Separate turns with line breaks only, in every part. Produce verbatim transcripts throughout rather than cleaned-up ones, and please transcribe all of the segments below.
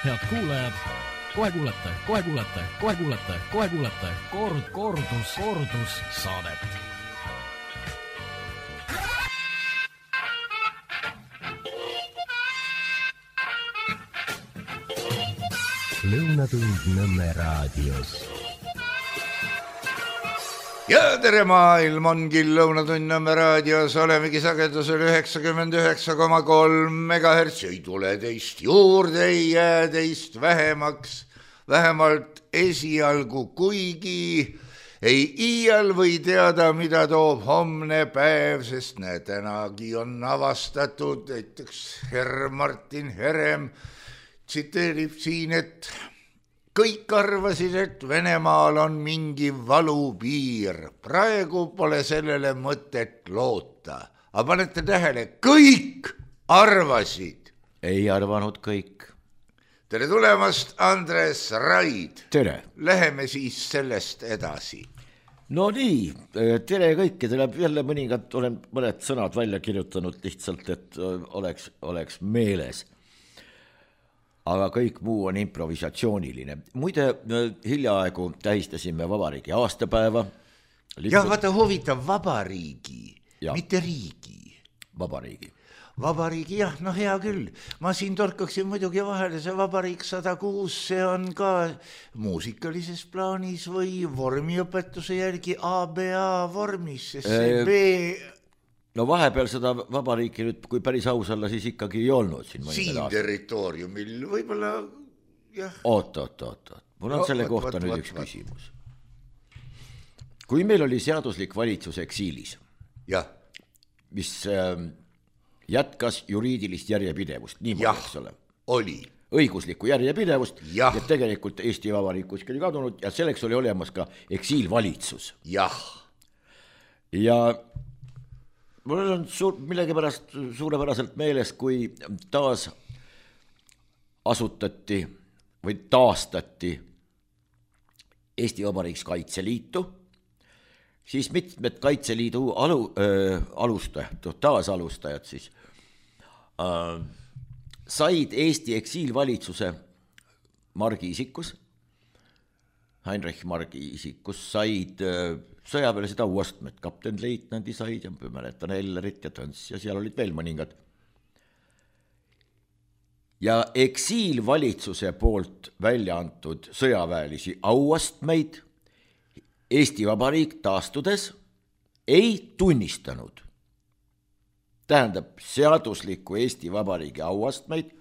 Head kuulajad, kohe kuulete, kohe kuulete, kohe kuulete, kohe kuulete kord, kordus, kordus saadet.
Lõunatund Nõmme raadios.
Ja tere maailm ongi Lõunatund Nõmme raadios, olemegi sagedusel üheksakümmend üheksa koma kolm megahertsi, ei tule teist juurde, ei jää teist vähemaks, vähemalt esialgu, kuigi ei iial või teada, mida toob homne päev, sest näe, tänagi on avastatud, näiteks herr Martin Herem tsiteerib siin, et kõik arvasid, et Venemaal on mingi valupiir. Praegu pole sellele mõtet loota. Aga panete tähele, kõik arvasid.
Ei arvanud kõik.
Tere tulemast, Andres Raid.
Tere.
Läheme siis sellest edasi.
No nii, tere kõike. Tuleb jälle mõningad, olen mõned sõnad välja kirjutanud lihtsalt, et oleks, oleks meeles. Aga kõik muu on improvisatsiooniline. Muide, hiljaaegu tähistasime vabariigi aastapäeva.
Lipu... Jah, vaata huvitav, vabariigi, ja. Mitte riigi.
Vabariigi.
Vabariigi, jah, no hea küll. Ma siin torkaksin muidugi vahele, see vabariik sada kuus, see on ka muusikalises plaanis või vormiõpetuse järgi A B A vormis, sest see e... B...
No vahepeal seda vabariiki nüüd, kui päris aus olla, siis ikkagi ei olnud siin.
Siin territooriumil võib-olla, jah.
Oot, oot, oot, oot. Mul on no, selle kohta võt, nüüd võt, üks võt. küsimus. Kui meil oli seaduslik valitsus eksiilis,
ja.
mis äh, jätkas juriidilist järjepidevust, nii
jah,
eks ole.
Oli.
Õiguslikku järjepidevust,
jah.
ja tegelikult Eesti Vabariik kuskil kadunud ja selleks oli olemas ka eksiilvalitsus.
Jah.
Ja mul on suur, millegipärast suurepäraselt meeles, kui taas asutati või taastati Eesti Vabariiks Kaitseliitu, siis mitmed Kaitseliidu alu, äh, alustajad, taasalustajad siis, äh, said Eesti eksiilvalitsuse Margi isikus, Heinrich Margi isikus said äh, sõjaväelised auastmed, kaptenleitnandi said ja mäletan Ellerit ja Töns ja seal olid veel mõningad. Ja eksiilvalitsuse poolt välja antud sõjaväelisi auastmeid Eesti Vabariik taastudes ei tunnistanud. Tähendab, seadusliku Eesti Vabariigi auastmeid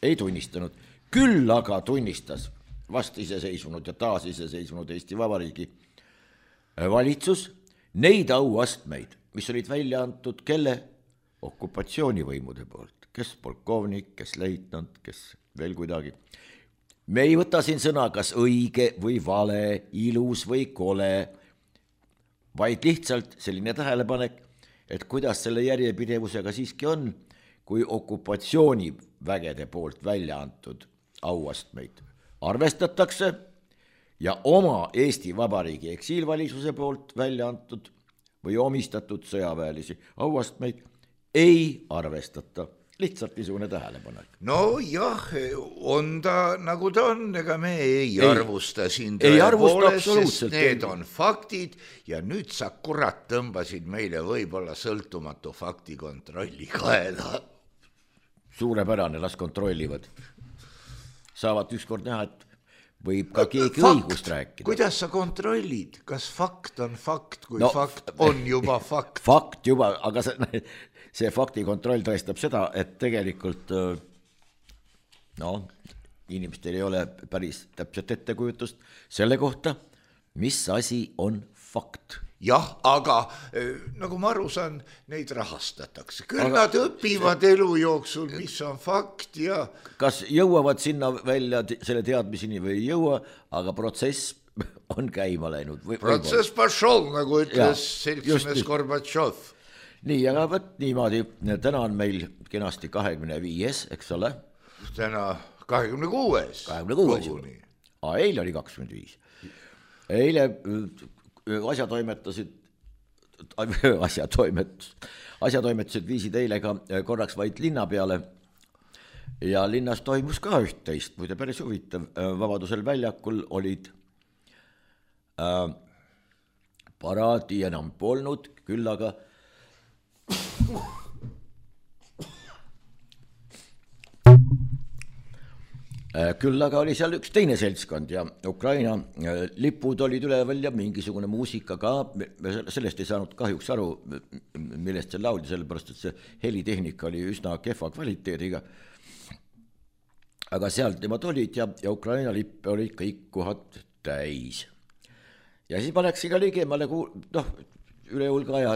ei tunnistanud. Küll aga tunnistas vast iseseisvunud ja taas iseseisvunud Eesti Vabariigi valitsus neid auastmeid, mis olid välja antud kelle okupatsioonivõimude poolt, kes polkovnik, kes leitnant, kes veel kuidagi. Me ei võta siin sõna, kas õige või vale, ilus või kole, vaid lihtsalt selline tähelepanek, et kuidas selle järjepidevusega siiski on, kui okupatsioonivägede poolt välja antud auastmeid arvestatakse ja oma Eesti Vabariigi eksiilvalitsususe poolt välja antud või omistatud sõjaväelisi auastmeid ei arvestata. Lihtsalt niisugune tähelepanek.
No jah, on ta nagu ta on, ega me ei, ei arvusta siin
ei arvusta absoluutselt.
Need on faktid ja nüüd sa kurat tõmbasid meile võib-olla sõltumatu faktikontrolli kaela.
Suurepärane, las kontrollivad. Saavad ükskord näha, et võib ka keegi
fakt.
Õigust rääkida.
Kuidas sa kontrollid, kas fakt on fakt, kui no, fakt on juba fakt?
Fakt juba, aga see, see faktikontroll tõestab seda, et tegelikult no, inimestel ei ole päris täpselt ettekujutust selle kohta, mis asi on fakt.
Jah, aga nagu ma aru saan, neid rahastatakse. Küll aga nad õpivad see... elu jooksul, mis on fakt ja...
Kas jõuavad sinna välja selle teadmiseni või ei jõua, aga protsess on käima läinud. Või,
protsess pašol, nagu ütles seltsimees Gorbatšov.
Nii, aga võt niimoodi, täna on meil kenasti kahekümne viies, eks ole?
Täna kahekümne kuues.
kahekümne kuues. A, eile oli kakskümmend viis. Eile... asjatoimetasid, asjatoimet, asjatoimetused viisid eile ka korraks vaid linna peale ja linnas toimus ka üht-teist, muide päris huvitav, Vabadusel väljakul olid äh, paraadi enam polnud, küll aga küll aga oli seal üks teine seltskond ja Ukraina lipud olid üleval ja mingisugune muusika ka, me sellest ei saanud kahjuks aru, millest see lauldi, sellepärast et see helitehnika oli üsna kehva kvaliteediga. Aga sealt nemad olid ja, ja Ukraina lippe olid kõik kohad täis. Ja siis ma läksin ka ligemale, noh, üle hulga aja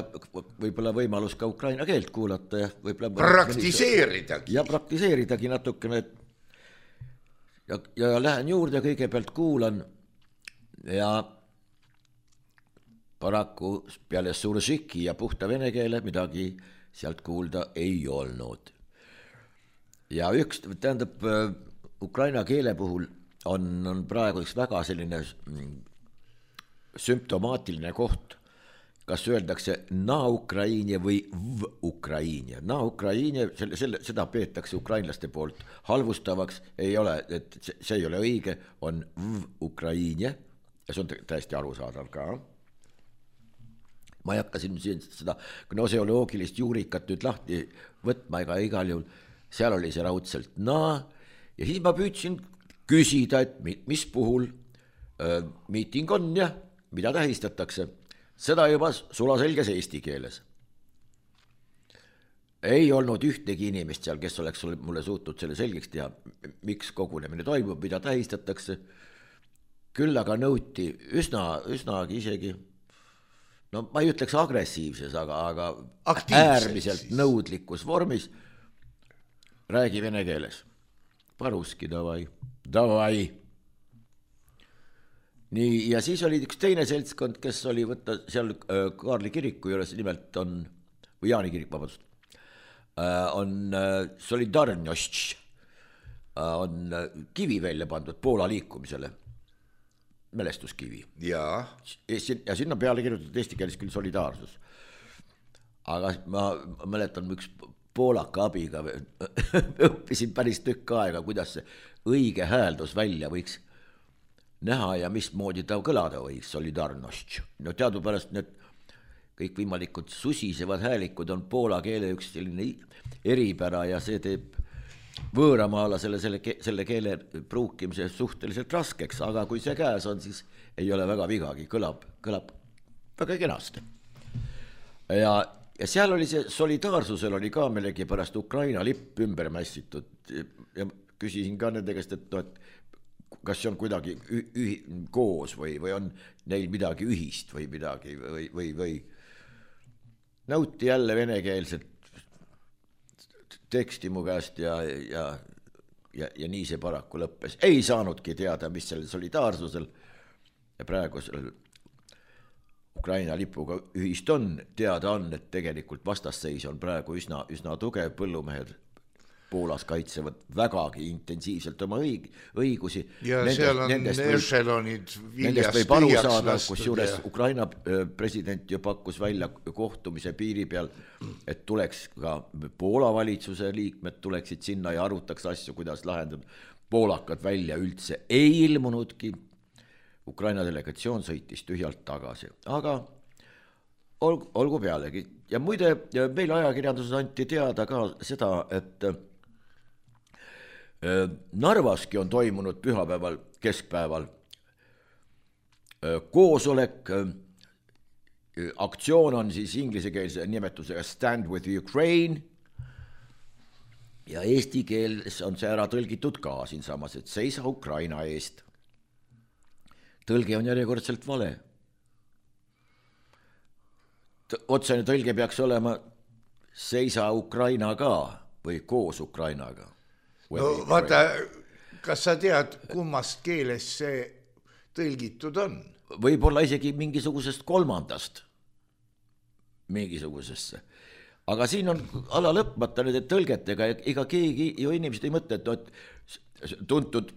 võib-olla võimalus ka Ukraina keelt kuulata ja võib-olla
praktiseeridagi.
Ja praktiseeridagi natukene. Ja, ja lähen juurde, kõigepealt kuulan ja paraku peale suržiki ja puhta vene keele midagi sealt kuulda ei olnud. Ja üks, tähendab, Ukraina keele puhul on, on praegu üks väga selline sümptomaatiline koht, kas öeldakse na Ukraine või v Ukraine. Na Ukraine, selle, selle, seda peetakse ukrainlaste poolt halvustavaks, ei ole, et see ei ole õige, on v Ukraine ja see on täiesti arusaadav ka. Ma ei hakka siin seda gnoseoloogilist juurikat nüüd lahti võtma ega igal juhul, seal oli see raudselt na ja siis ma püüdsin küsida, et mis puhul äh, miiting on ja mida tähistatakse. Seda juba sulaselges eesti keeles. Ei olnud ühtegi inimest seal, kes oleks mulle suutnud selle selgeks teha, miks kogunemine toimub, mida tähistatakse. Küll aga nõuti üsna, üsnagi isegi, no ma ei ütleks agressiivses, aga, aga äärmiselt nõudlikus vormis räägi vene keeles. Paruski, davai, davai. Nii, ja siis oli üks teine seltskond, kes oli võtta seal Kaarli kiriku juures, nimelt on, või Jaani kirik, vabandust, on Solidarność, on kivi välja pandud Poola liikumisele, mälestuskivi.
Ja,
ja sinna peale kirjutatud eesti keeles küll solidaarsus. Aga ma mäletan üks poolaka abiga, õppisin päris tükk aega, kuidas see õige hääldus välja võiks näha ja mismoodi ta kõlada või solidarność. No teadupärast need kõik võimalikud susisevad häälikud on poola keele üks selline eripära ja see teeb võõramaalasele selle, selle keele pruukimise suhteliselt raskeks, aga kui see käes on, siis ei ole väga vigagi, kõlab, kõlab väga kenasti. Ja, ja seal oli see solidaarsusel oli ka millegi pärast Ukraina lipp ümber mässitud ja küsisin ka nende käest, et no, et kas see on kuidagi ühi, koos või, või on neil midagi ühist või midagi või, või, või nõuti jälle venekeelset teksti mu käest ja, ja, ja, ja nii see paraku lõppes. Ei saanudki teada, mis sellel solidaarsusel ja praegu sellel Ukraina lipuga ühist on, teada on, et tegelikult vastasseis on praegu üsna, üsna tugev, põllumehed Poolas kaitsevad vägagi intensiivselt oma õig, õigusi.
Ja nendest, seal on ešelonid
viljast tühjaks lastud. Kusjuures ja Ukraina president ju pakkus välja kohtumise piiri peal, et tuleks ka Poola valitsuse liikmed tuleksid sinna ja arutaks asju, kuidas lahendada. Poolakad välja üldse ei ilmunudki. Ukraina delegatsioon sõitis tühjalt tagasi. Aga olgu, olgu pealegi. Ja muide, meil ajakirjanduses anti teada ka seda, et Narvaski on toimunud pühapäeval, keskpäeval koosolek, aktsioon on siis inglisekeelse nimetusega Stand with Ukraine ja eesti keeles on see ära tõlgitud ka siinsamas, et seisa Ukraina eest. Tõlge on järjekordselt vale. Otsene tõlge peaks olema seisa Ukraina ka või koos Ukrainaga.
No vaata, kas sa tead, kummast keeles see tõlgitud on?
Võib-olla isegi mingisugusest kolmandast, mingisugusesse. Aga siin on ala lõpmata nende tõlgetega, ega keegi ju inimesed ei mõtle, et tuntud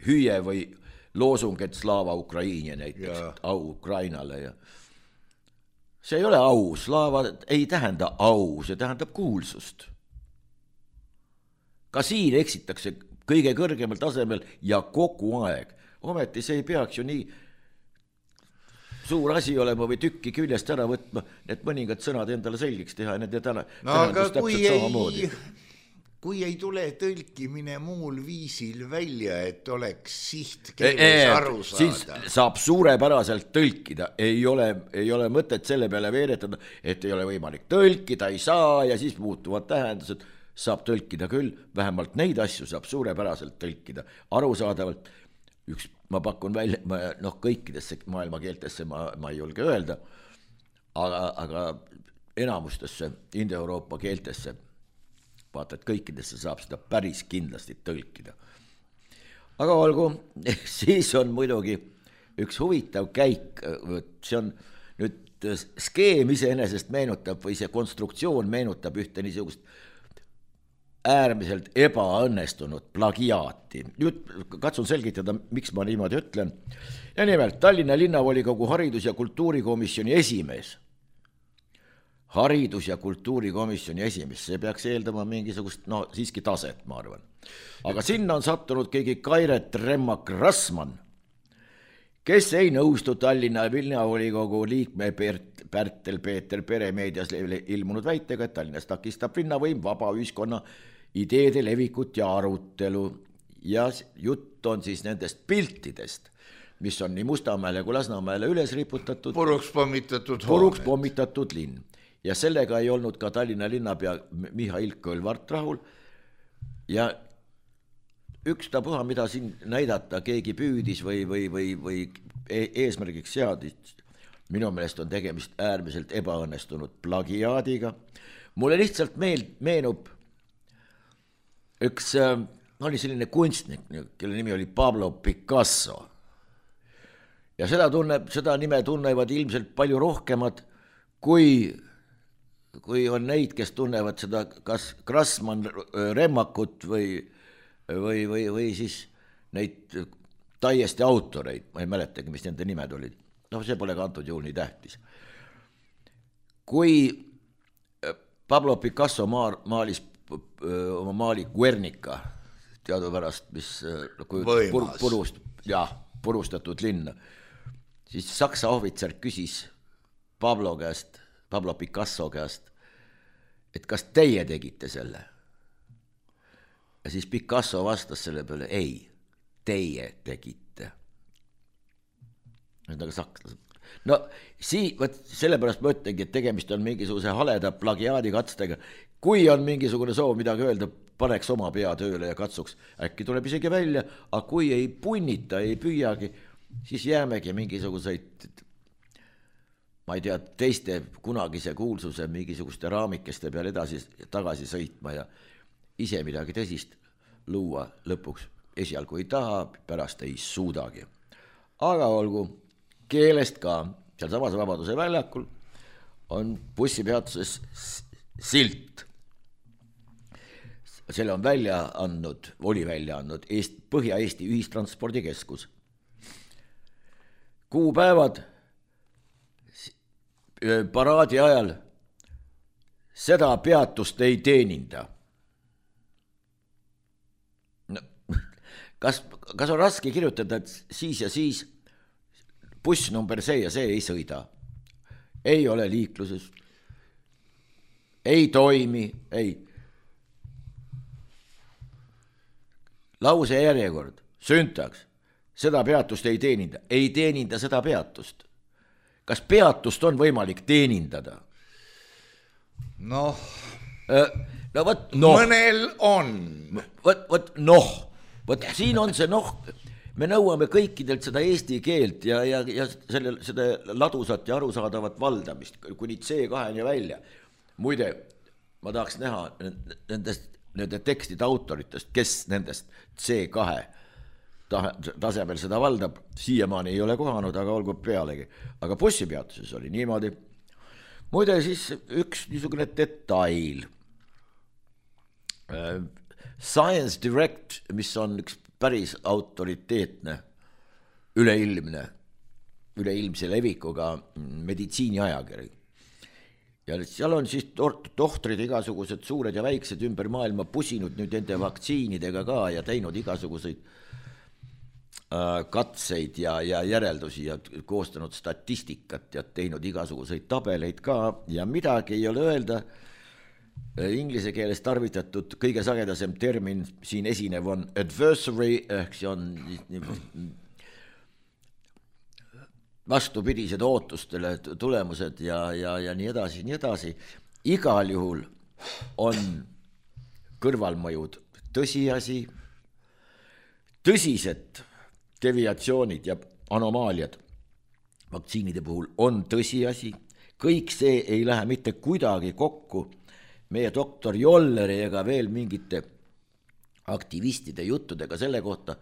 hüüe või loosung, et slaava Ukraine näiteks, ja. Au Ukrainale ja see ei ole au, slaava ei tähenda au, see tähendab kuulsust. ka siin eksitakse kõige kõrgemal tasemel ja kogu aeg. Ometi see ei peaks ju nii suur asi olema või tükki küljest ära võtma, et mõningad sõnad endale selgiks teha ja nende täna,
no aga kui ei, kui ei tule tõlkimine muul viisil välja, et oleks sihtkeeles aru saada.
Siis saab suurepäraselt tõlkida, ei ole, ei ole mõtet selle peale veeretada, et ei ole võimalik tõlkida, ei saa ja siis muutuvad tähendused, saab tõlkida küll, vähemalt neid asju saab suurepäraselt tõlkida, arusaadavalt. Üks, ma pakun välja, ma, noh, kõikidesse maailmakeeltesse ma, ma ei julge öelda, aga, aga enamustesse Indoeuroopa keeltesse, vaata, et kõikidesse saab seda päris kindlasti tõlkida. Aga olgu, siis on muidugi üks huvitav käik, see on nüüd skeem iseenesest meenutab või see konstruktsioon meenutab ühte niisugust äärmiselt ebaõnnestunud plagiaati. Nüüd katsun selgitada, miks ma niimoodi ütlen. Ja nimelt, Tallinna linnavolikogu haridus- ja kultuurikomisjoni esimees. Haridus- ja kultuurikomisjoni esimees, see peaks eeldama mingisugust, no siiski taset, ma arvan. Aga sinna on sattunud keegi Kairet Remmak-Rassmann, kes ei nõustu Tallinna linnavolikogu liikme Pärtel Peeter Peremeedias ilmunud väitega, et Tallinnas takistab linnavõim vaba ühiskonna ideede levikut ja arutelu. Ja jutt on siis nendest piltidest, mis on nii Mustamäele kui Lasnamäele üles riputatud.
Puruks pommitatud
Puruks pommitatud linn. Ja sellega ei olnud ka Tallinna linnapea Mihhail Kõlvart rahul. Ja ükstapuha, mida siin näidata keegi püüdis või, või, või, või eesmärgiks seadis, minu meelest on tegemist äärmiselt ebaõnnestunud plagiaadiga. Mulle lihtsalt meel, meenub üks, oli selline kunstnik, kelle nimi oli Pablo Picasso. Ja seda, tunneb, seda nime tunnevad ilmselt palju rohkemad, kui, kui on neid, kes tunnevad seda kas Grassmann Remmakut või Või, või, või siis neid täiesti autoreid, ma ei mäletagi, mis nende nimed olid. No see pole ka antud juhul nii tähtis. Kui Pablo Picasso maalis oma maali Guernica, teadupärast, mis pur, purust, ja, purustatud linna, siis saksa ohvitser küsis Pablo käest, Pablo Picasso käest, et kas teie tegite selle? Ja siis Picasso vastas selle peale, ei, teie tegite. Nagu sakslased. No sii, võt, sellepärast ma ütlengi, et tegemist on mingisuguse haleda plagiaadikatstega. Kui on mingisugune soov midagi öelda, paneks oma pea tööle ja katsuks. Äkki tuleb isegi välja, aga kui ei punnita, ei püüagi, siis jäämegi mingisuguseid, ma ei tea, teiste kunagise kuulsuse mingisuguste raamikeste peal edasi tagasi sõitma ja ise midagi tõsist luua lõpuks esialgu ei taha, pärast ei suudagi. Aga olgu, keelest ka, seal samas Vabaduse väljakul on bussipeatuses silt. Selle on välja andnud, oli välja andnud Eest, Põhja-Eesti ühistranspordikeskus. Kuupäevad paraadi ajal seda peatust ei teeninda. Kas, kas on raske kirjutada, et siis ja siis buss number see ja see ei sõida? Ei ole liikluses. Ei toimi, ei. Lause järjekord, süntaks, seda peatust ei teeninda. Ei teeninda seda peatust. Kas peatust on võimalik teenindada?
Noh,
no, võt, noh.
Mõnel on.
Võt, võt, noh. Võt, siin on see noh, me nõuame kõikidelt seda eesti keelt ja, ja, ja selle, seda ladusat ja arusaadavat valdamist, kuni C kaheni välja. Muide, ma tahaks näha nendest, nende tekstide autoritest, kes nendest C kahe tasemel seda valdab, siiamaani ei ole kohanud, aga olgu pealegi. Aga bussipeatuses oli niimoodi. Muide, siis üks niisugune detail. Science Direct, mis on üks päris autoriteetne, üleilmne, üleilmse levikuga meditsiiniajakiri. ja seal on siis tohtrid igasugused suured ja väiksed ümber maailma pusinud nüüd nende vaktsiinidega ka ja teinud igasuguseid katseid ja, ja järeldusi ja koostanud statistikat ja teinud igasuguseid tabeleid ka ja midagi ei ole öelda. Inglise keeles tarvitatud kõige sagedasem termin siin esinev on adversary, ehk see on vastupidised ootustele tulemused ja, ja, ja nii edasi, nii edasi. Igal juhul on kõrvalmõjud tõsiasi, tõsised deviatsioonid ja anomaaliad vaktsiinide puhul on tõsiasi, kõik see ei lähe mitte kuidagi kokku meie doktor Jolleri ega veel mingite aktivistide juttudega selle kohta,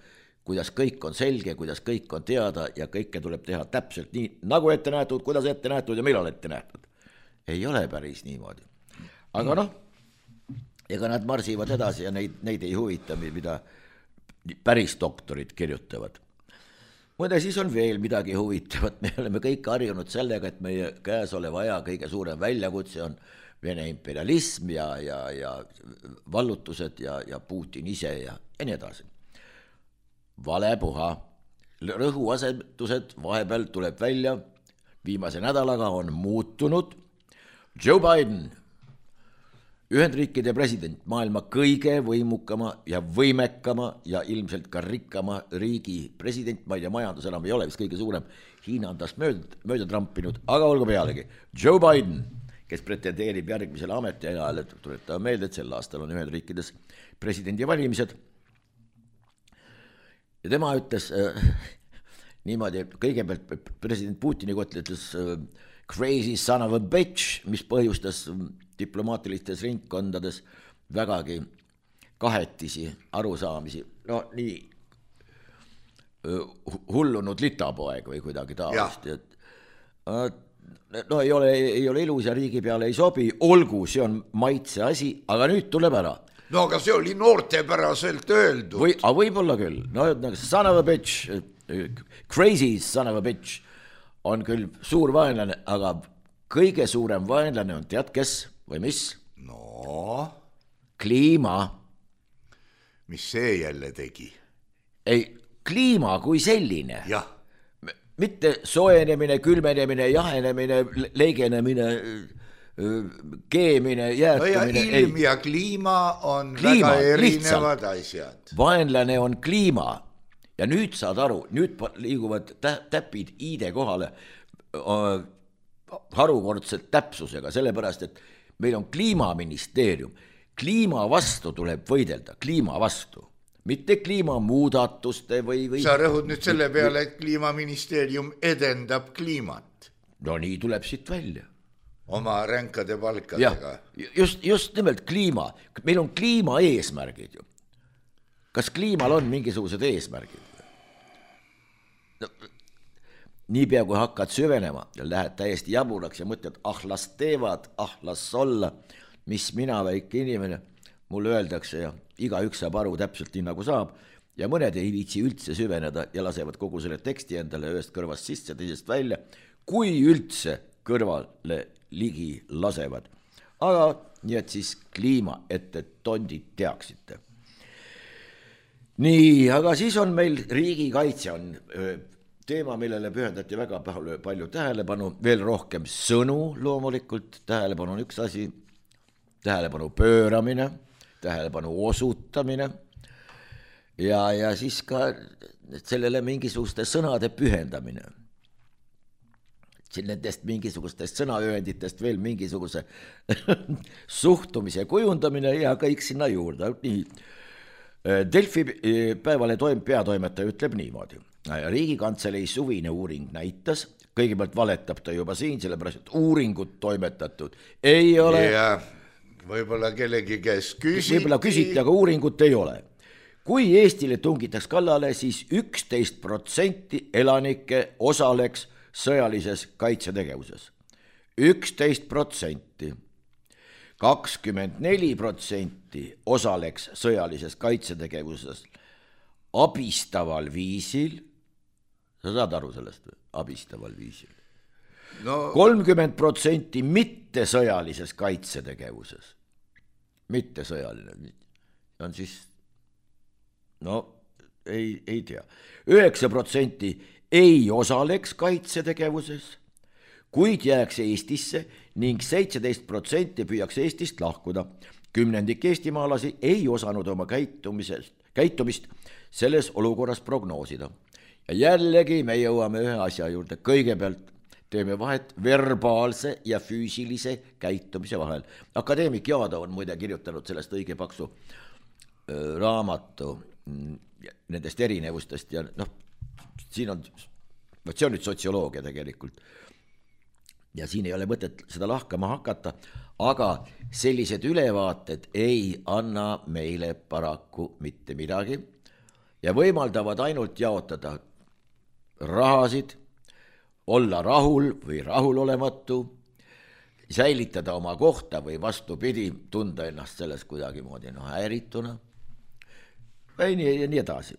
kuidas kõik on selge, kuidas kõik on teada ja kõike tuleb teha täpselt nii, nagu ette nähtud, kuidas ette nähtud ja millal ette nähtud. Ei ole päris niimoodi. Aga noh, ega nad marsivad edasi ja neid, neid ei huvita, mida päris doktorid kirjutavad. Mõne siis on veel midagi huvitavat, me oleme kõik harjunud sellega, et meie käes oleva aja kõige suurem väljakutse on Vene imperialism ja, ja, ja vallutused ja, ja Putin ise ja, ja nii edasi. Vale puha, rõhuasetused vahepeal tuleb välja, viimase nädalaga on muutunud. Joe Biden, Ühendriikide president, maailma kõige võimukama ja võimekama ja ilmselt ka rikkama riigi president, ma ei tea, majandus enam ei ole vist kõige suurem, Hiina on tast mööda, mööda trampinud, aga olgu pealegi. Joe Biden, kes pretendeerib järgmisele ametiajale, tuletab meelde, et sel aastal on Ühendriikides presidendi valimised. Ja tema ütles äh, niimoodi, kõigepealt president Putini kohta ütles äh, crazy son of a bitch, mis põhjustas diplomaatilistes ringkondades vägagi kahetisi arusaamisi. No nii uh, hullunud litapoeg või kuidagi taolist. Et, uh, no ei ole, ei ole ilus ja riigi peale ei sobi, olgu, see on maitse asi, aga nüüd tuleb ära.
No aga see oli noortepäraselt öeldud.
Või, a võib-olla küll, no son of a bitch, crazy son of a bitch on küll suur vaenlane, aga kõige suurem vaenlane on tead kes või mis?
No?
Kliima.
Mis see jälle tegi?
Ei, kliima kui selline.
Jah.
Mitte soojenemine, külmenemine, jahenemine, leigenemine, keemine, jäätumine.
No ja ilm ei. Ja kliima on
kliima,
väga erinevad
lihtsalt.
Asjad.
Vaenlane on kliima. Ja nüüd saad aru, nüüd liiguvad tä- täpid iide kohale äh, harukordselt täpsusega, sellepärast, et meil on kliimaministeerium. Kliima vastu tuleb võidelda, kliima vastu. Mitte kliimamuudatuste või, või...
Sa rõhud nüüd selle peale, et kliimaministeerium edendab kliimat.
No nii tuleb siit välja.
Oma ränkade palkadega.
Ja, just, just nimelt kliima. Meil on kliima eesmärgid ju. Kas kliimal on mingisugused eesmärgid? No, niipea kui hakkad süvenema ja lähed täiesti jaburaks ja mõtled, ah las teevad, ah las olla, mis mina väike inimene, mulle öeldakse ja iga üks saab aru täpselt nii nagu saab ja mõned ei viitsi üldse süveneda ja lasevad kogu selle teksti endale ühest kõrvast sisse, teisest välja, kui üldse kõrvale ligi lasevad. Aga nii et siis kliima, et, et tondid teaksite. Nii, aga siis on meil riigikaitse on teema, millele pühendati väga palju tähelepanu, veel rohkem sõnu loomulikult, tähelepanu on üks asi, tähelepanu pööramine, tähelepanu osutamine ja, ja siis ka sellele mingisuguste sõnade pühendamine. Nendest mingisugustest sõnaöönditest veel mingisuguse suhtumise kujundamine ja kõik sinna juurde. Nii. Delfi päevale toim, peatoimetaja ütleb niimoodi. Riigikantselei suvine uuring näitas, kõigepealt valetab ta juba siin, sellepärast, et uuringut toimetatud ei ole.
Ja võib-olla kellegi kes küsiti.
Võib-olla küsiti, aga uuringut ei ole. Kui Eestile tungitaks kallale, siis üksteist protsenti elanike osaleks sõjalises kaitsetegevuses. üksteist protsenti. kakskümmend neli protsenti osaleks sõjalises kaitsetegevuses abistaval viisil. Sa saad aru sellest või? Abistaval viisil. kolmkümmend protsenti mittesõjalises kaitsetegevuses. Mittesõjaline on siis, no ei, ei tea. üheksa protsenti ei osaleks kaitsetegevuses, kuid jääks Eestisse ning seitseteist protsenti püüaks Eestist lahkuda. Kümnendik eestimaalasi ei osanud oma käitumisest, käitumist selles olukorras prognoosida. Ja jällegi me jõuame ühe asja juurde. Kõigepealt teeme vahet verbaalse ja füüsilise käitumise vahel. Akadeemik Jaado on muide kirjutanud sellest õige paksu raamatu nendest erinevustest ja noh, siin on, see on nüüd sotsioloogia tegelikult. Ja siin ei ole mõtet seda lahkama hakata, aga sellised ülevaated ei anna meile paraku mitte midagi ja võimaldavad ainult jaotada rahasid, olla rahul või rahulolematu, säilitada oma kohta või vastupidi, tunda ennast selles kuidagi moodi no, häirituna või nii, ja nii edasi.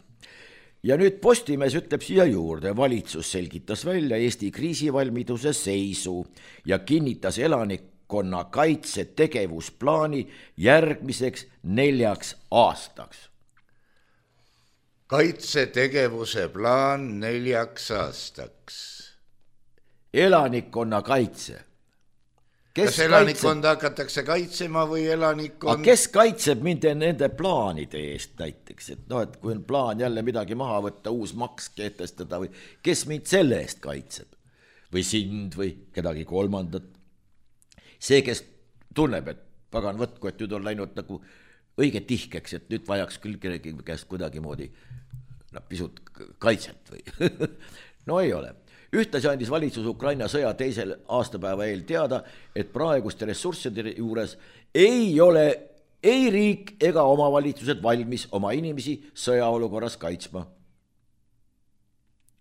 Ja nüüd Postimees ütleb siia juurde, valitsus selgitas välja Eesti kriisivalmiduse seisu ja kinnitas elanikkonna kaitse tegevusplaani järgmiseks neljaks aastaks.
Kaitsetegevuse plaan neljaks aastaks.
Elanikkonna kaitse.
Kes kas elanikkonda kaitseb? Hakatakse kaitsema või elanikkond?
Aga kes kaitseb mind nende plaanide eest näiteks, et noh, et kui on plaan jälle midagi maha võtta, uus maks kehtestada või kes mind selle eest kaitseb või sind või kedagi kolmandat. See, kes tunneb, et pagan võtku, et nüüd on läinud nagu õige tihkeks, et nüüd vajaks küll kellegi käest kuidagi moodi no, pisut kaitset või no ei ole. Ühtlasi andis valitsus Ukraina sõja teisel aastapäeva eel teada, et praeguste ressursside juures ei ole ei riik ega omavalitsused valmis oma inimesi sõjaolukorras kaitsma.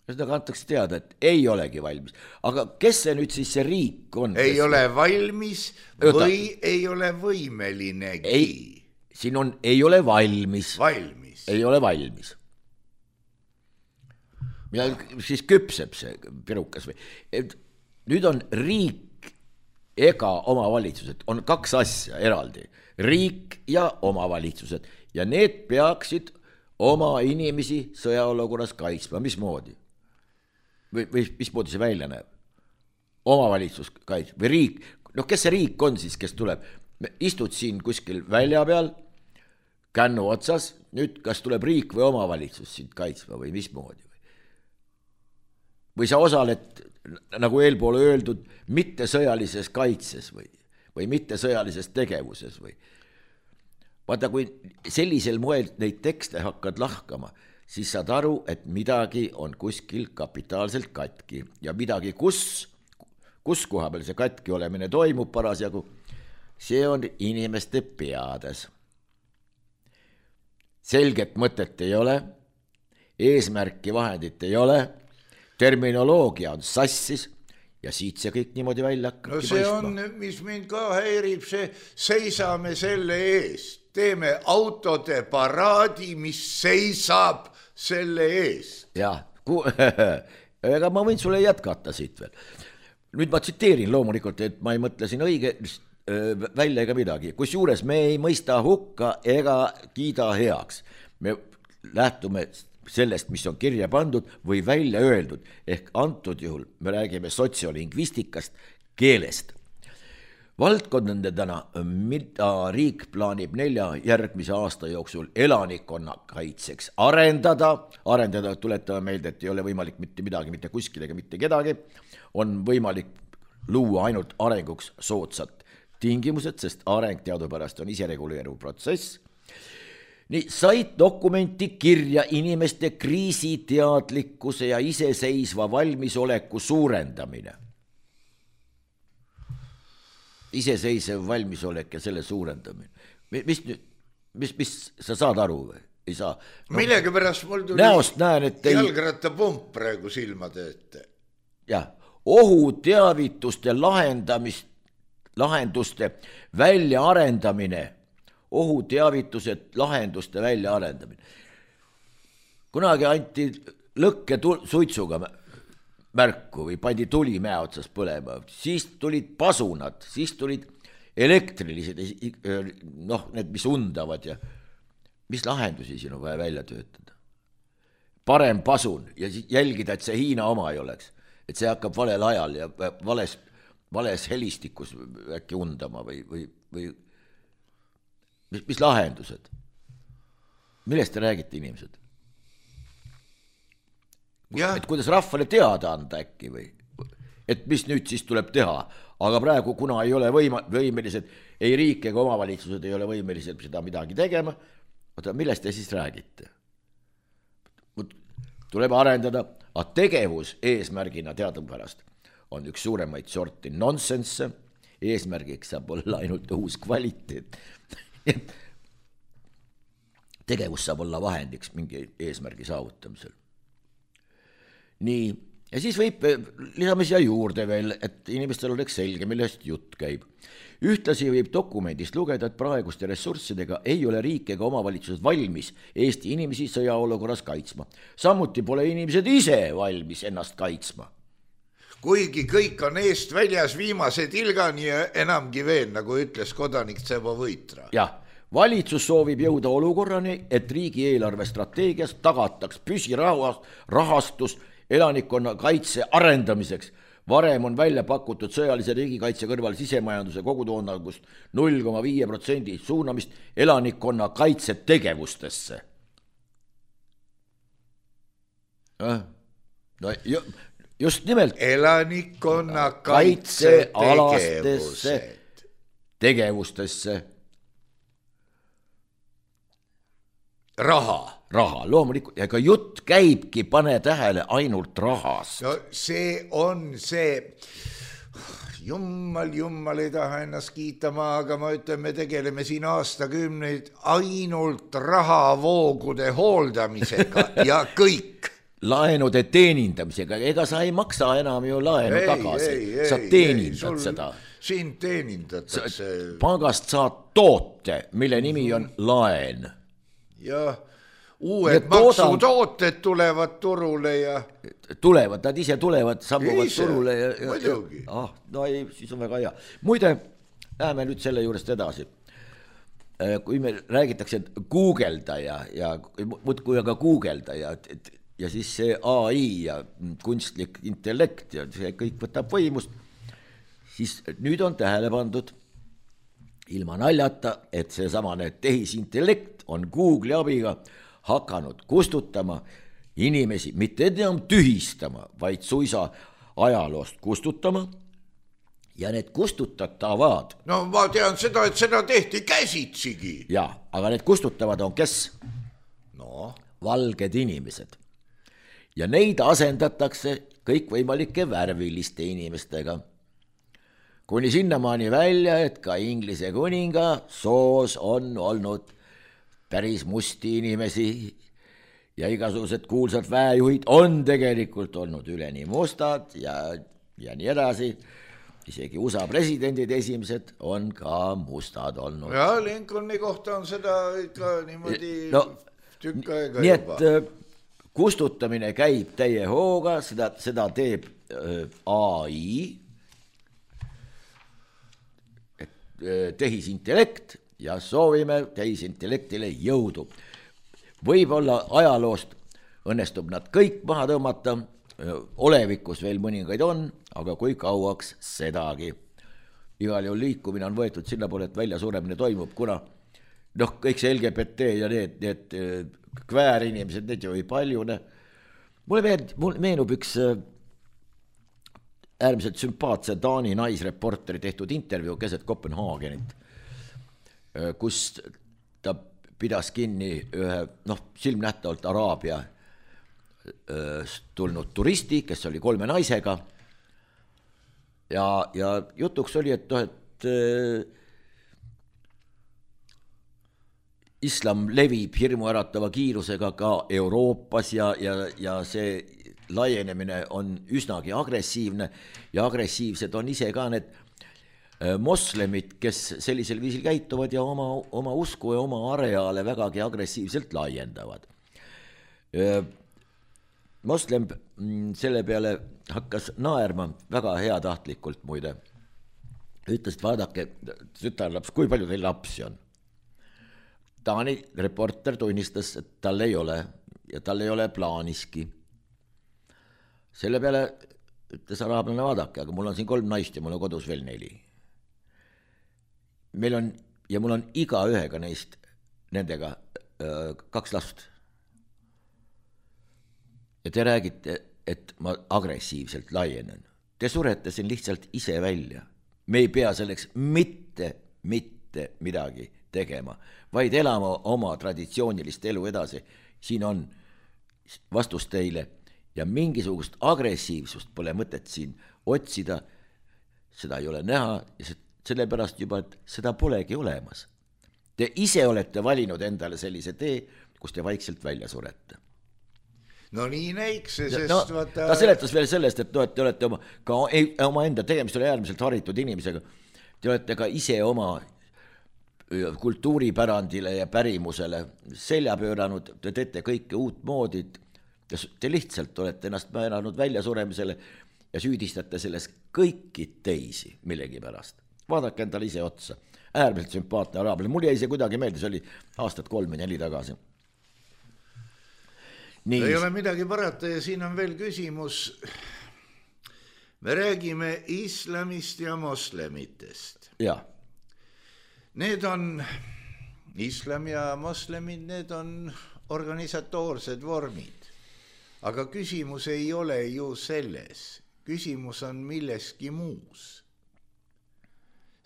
Seda antakse teada, et ei olegi valmis. Aga kes see nüüd siis see riik on?
Ei ole valmis või Jota. Ei ole võimelinegi?
Ei, siin on ei ole valmis.
Valmis.
Ei ole valmis. Ja siis küpseb see pirukas või. Et nüüd on riik ega omavalitsused, on kaks asja eraldi, riik ja omavalitsused ja need peaksid oma inimesi sõjaolukorras kaitsma, mismoodi? Või, või mismoodi see välja näeb? Omavalitsus kaitseb või riik, noh kes see riik on siis, kes tuleb? Istud siin kuskil välja peal, kännu otsas, nüüd kas tuleb riik või omavalitsus sind kaitsma või mismoodi? Või sa osaled, nagu eelpool öeldud, mitte sõjalises kaitses või, või mitte sõjalises tegevuses või. Vaata, kui sellisel moel neid tekste hakkad lahkama, siis saad aru, et midagi on kuskil kapitaalselt katki ja midagi, kus, kus koha peal see katki olemine toimub parasjagu, see on inimeste peades. Selget mõtet ei ole, eesmärki vahendit ei ole, terminoloogia on sassis ja siit see kõik niimoodi välja hakkabki
no see paistma. On, mis mind ka häirib, see seisame selle eest, teeme autode paraadi, mis seisab selle eest.
Jah, ku... ega ma võin sulle jätkata siit veel. Nüüd ma tsiteerin loomulikult, et ma ei mõtle siin õige välja ega midagi, kus juures me ei mõista hukka ega kiida heaks. Me lähtume sellest, mis on kirja pandud või välja öeldud, ehk antud juhul me räägime sotsiolingvistikast, keelest. Valdkondadena, mida riik plaanib nelja järgmise aasta jooksul elanikkonna kaitseks arendada, arendada, tuletame meelde, et ei ole võimalik mitte midagi, mitte kuskil ega mitte kedagi, on võimalik luua ainult arenguks soodsat tingimused, sest areng teadupärast on isereguleeruv protsess. Nii said dokumenti kirja inimeste kriisiteadlikkuse ja iseseisva valmisoleku suurendamine. Iseseisev valmisolek ja selle suurendamine. Mis, mis, mis sa saad aru või? Ei saa.
No, millegi pärast mul tuli
näost näen, et ei...
jalgrattapump praegu silmade ette.
Jah, ohuteavituste lahendamist, lahenduste väljaarendamine ohuteavitused, lahenduste väljaarendamine. Kunagi anti lõkke suitsuga märku või pandi tuli mäe otsas põlema, siis tulid pasunad, siis tulid elektrilised, noh, need, mis undavad ja mis lahendusi siin on vaja välja töötada. Parem pasun ja jälgida, et see Hiina oma ei oleks, et see hakkab valel ajal ja vales, vales helistikus äkki undama või, või, või mis, mis lahendused? Millest te räägite, inimesed? Ja. Et kuidas rahvale teada anda äkki või, et mis nüüd siis tuleb teha, aga praegu, kuna ei ole võima, võimelised, ei riik ega omavalitsused ei ole võimelised seda midagi tegema, oota, millest te siis räägite? Tuleb arendada, aga tegevus eesmärgina teadupärast on üks suuremaid sorti nonsense, eesmärgiks saab olla ainult uus kvaliteet. Tegevus saab olla vahendiks mingi eesmärgi saavutamisel. Nii, ja siis võib, lisame siia juurde veel, et inimestel oleks selge, millest jutt käib. Ühtlasi võib dokumendist lugeda, et praeguste ressurssidega ei ole riik ega omavalitsused valmis Eesti inimesi sõjaolukorras kaitsma. Samuti pole inimesed ise valmis ennast kaitsma.
Kuigi kõik on eest väljas viimase tilgani ja enamgi veel, nagu ütles kodanik Tsebo Võitra.
Jah, valitsus soovib jõuda olukorrani, et riigi eelarve strateegias tagataks püsirahastus elanikkonna kaitse arendamiseks. Varem on välja pakutud sõjalise riigikaitse kõrval sisemajanduse kogutoodangust null koma viis protsenti suunamist elanikkonna kaitsetegevustesse. No, just nimelt
elanikkonna kaitsetegevustesse
tegevustesse.
Raha.
Raha, loomulikult, ja ka jutt käibki, pane tähele, ainult rahast.
No see on see, jummal, jummal ei taha ennast kiitama, aga ma ütlen, me tegeleme siin aastakümneid ainult rahavoogude hooldamisega ja kõik.
Laenude teenindamisega, ega sa ei maksa enam ju laenu ei, tagasi, ei, sa ei, teenindad ei, seda.
Siin teenindatakse.
Pangast saad toote, mille nimi on laen.
Jah. Uued maksutooted tulevad turule ja...
Tulevad, nad ise tulevad, sammuvad ise, turule ja...
ja
ah, no ei, siis on väga hea. Muide, läheme nüüd selle juurest edasi. Kui me räägitakse, et googelda ja, ja muudkui aga googelda ja, ja siis see A I ja kunstlik intellekt ja see kõik võtab võimust, siis nüüd on tähele pandud ilma naljata, et see samane tehisintellekt on Google'i abiga hakanud kustutama inimesi, mitte enam tühistama, vaid suisa ajaloost kustutama ja need kustutatavad.
No ma tean seda, et seda tehti käsitsigi.
Ja, aga need kustutavad on kes?
No.
Valged inimesed. Ja neid asendatakse kõikvõimalike värviliste inimestega. Kuni sinnamaani välja, et ka Inglise kuninga soos on olnud päris musti inimesi ja igasugused kuulsad väejuhid on tegelikult olnud üleni mustad ja, ja nii edasi. Isegi U S A presidendid esimesed on ka mustad olnud.
Ja Lincolni kohta on seda ikka niimoodi no, tükk aega
nii
juba.
Nii et kustutamine käib täie hooga, seda, seda teeb A I, tehisintellekt, ja soovime tehisintellektile jõudu. Võib-olla ajaloost õnnestub nad kõik maha tõmmata, olevikus veel mõningaid on, aga kui kauaks sedagi. Igal juhul liikumine on võetud sinna poole, et väljasuremine toimub, kuna noh, kõik see L G B T ja need, need kväärinimesed, need ju ei paljune. Mulle meenub üks äärmiselt sümpaatse Taani naisreporteri tehtud intervjuu keset Kopenhaagenit, kus ta pidas kinni ühe, noh, silmnähtavalt Araabia tulnud turisti, kes oli kolme naisega ja, ja jutuks oli, et, et islam levib hirmuäratava kiirusega ka Euroopas ja, ja, ja see laienemine on üsnagi agressiivne ja agressiivsed on ise ka need moslemid, kes sellisel viisil käituvad ja oma, oma usku ja oma areaale vägagi agressiivselt laiendavad. moslem selle peale hakkas naerma väga heatahtlikult muide. Ütles, et vaadake, tütarlaps, kui palju teil lapsi on? Taani reporter tunnistas, et tal ei ole ja tal ei ole plaaniski. Selle peale ütles araablane, vaadake, aga mul on siin kolm naist ja mul on kodus veel neli. Meil on, ja mul on iga ühega neist nendega öö, kaks last. Ja te räägite, et ma agressiivselt laienen. Te surete siin lihtsalt ise välja. Me ei pea selleks mitte, mitte midagi tegema, vaid elama oma traditsioonilist elu edasi. Siin on vastus teile ja mingisugust agressiivsust pole mõtet siin otsida, seda ei ole näha ja sellepärast juba, et seda polegi olemas. Te ise olete valinud endale sellise tee, kus te vaikselt välja surete.
No nii näiks see, sest
no,
vaata...
Ta seletas veel sellest, et no, et te olete oma, ka oma enda tegemist oli äärmiselt haritud inimesega. Te olete ka ise oma kultuuripärandile ja pärimusele selja pööranud, te teete kõike uut moodi, te lihtsalt olete ennast määranud väljasuremisele ja süüdistate selles kõiki teisi millegi pärast. Vaadake endale ise otsa. Äärmiselt sümpaatne araablased. Mul jäi see kuidagi meelde, see oli aastat kolm ja neli tagasi. Nii.
Ei ole midagi parata ja siin on veel küsimus. Me räägime islamist ja moslemitest.
Ja.
Need on, islam ja moslemid, need on organisatoorsed vormid. Aga küsimus ei ole ju selles. Küsimus on milleski muus.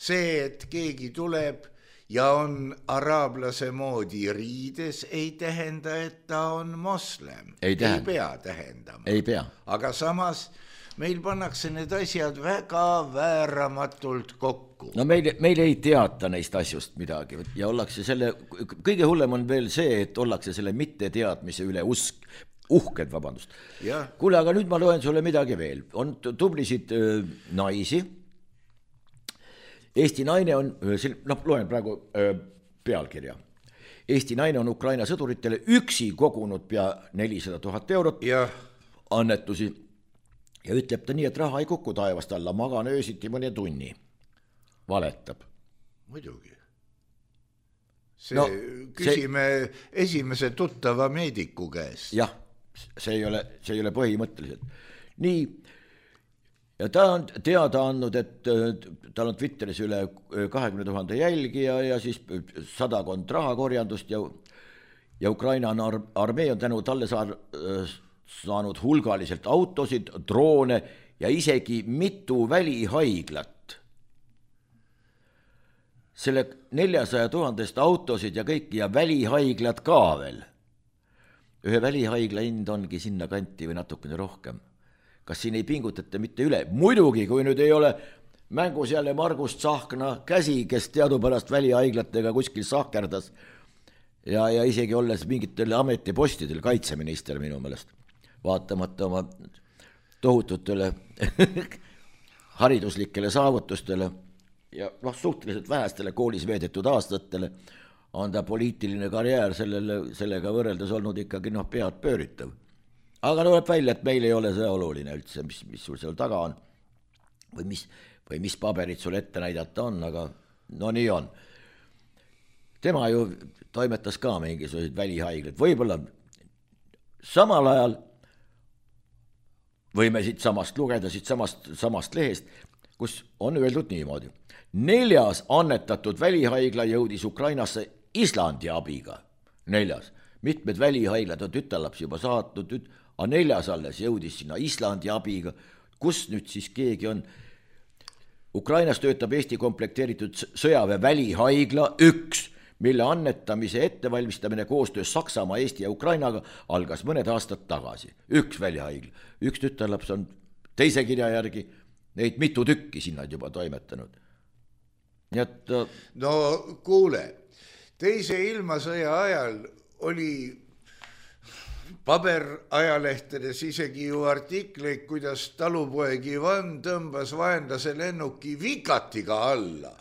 See, et keegi tuleb ja on araablase moodi riides, ei tähenda, et ta on moslem.
Ei,
ei pea tähendama.
Ei pea.
Aga samas meil pannakse need asjad väga vääramatult kokku.
No meil, meil ei teata neist asjust midagi ja ollakse selle, kõige hullem on veel see, et ollakse selle mitte teadmise üle usk, uhked, vabandust. Kuule, aga nüüd ma loen sulle midagi veel. On tublisid öö, naisi. Eesti naine on, noh, loen praegu öö, pealkirja. Eesti naine on Ukraina sõduritele üksi kogunud pea nelisada tuhat eurot ja annetusi ja ütleb ta nii, et raha ei kuku taevast alla, magan öösiti mõne tunni. Valetab.
Muidugi. See, no, küsime see... esimese tuttava meediku käest.
Jah, see ei ole, see ei ole põhimõtteliselt. Nii, ja ta on teada andnud, et tal on Twitteris üle kahekümne tuhande jälgija ja siis sadakond rahakorjandust ja, ja Ukraina armee on tänu talle saar, saanud hulgaliselt autosid, droone ja isegi mitu välihaiglat. Selle neljasaja tuhandest autosid ja kõik ja välihaiglad ka veel. Ühe välihaigla hind ongi sinna kanti või natukene rohkem. Kas siin ei pingutata mitte üle? Muidugi, kui nüüd ei ole mängus jälle Margus Tsahkna käsi, kes teadupärast välihaiglatega kuskil sahkerdas ja, ja isegi olles mingitel ametipostidel, kaitseminister minu meelest, vaatamata oma tohututele hariduslikele saavutustele ja noh, suhteliselt vähestele koolis veedetud aastatele on ta poliitiline karjäär sellele, sellega võrreldes olnud ikkagi noh, pead pööritav. Aga tuleb välja, et meil ei ole see oluline üldse, mis, mis sul seal taga on või mis, või mis paberid sul ette näidata on, aga no nii on. Tema ju toimetas ka mingisuguseid välihaiglaid, võib-olla samal ajal võime siit samast lugeda, siit samast, samast lehest, kus on öeldud niimoodi. Neljas annetatud välihaigla jõudis Ukrainasse Islandi abiga. Neljas. Mitmed välihaiglad on tütarlaps juba saatnud, aga neljas alles jõudis sinna Islandi abiga. Kus nüüd siis keegi on? Ukrainas töötab Eesti komplekteeritud sõjaväe välihaigla üks, mille annetamise ettevalmistamine koostöös Saksamaa, Eesti ja Ukrainaga algas mõned aastad tagasi. Üks välihaigla. Üks tütarlaps on teise kirja järgi neid mitu tükki sinna juba toimetanud. Et,
no kuule, teise ilmasõja ajal oli paberajalehtedes isegi ju artikleid, kuidas talupoeg Ivan tõmbas vaenlase lennuki vikatiga alla.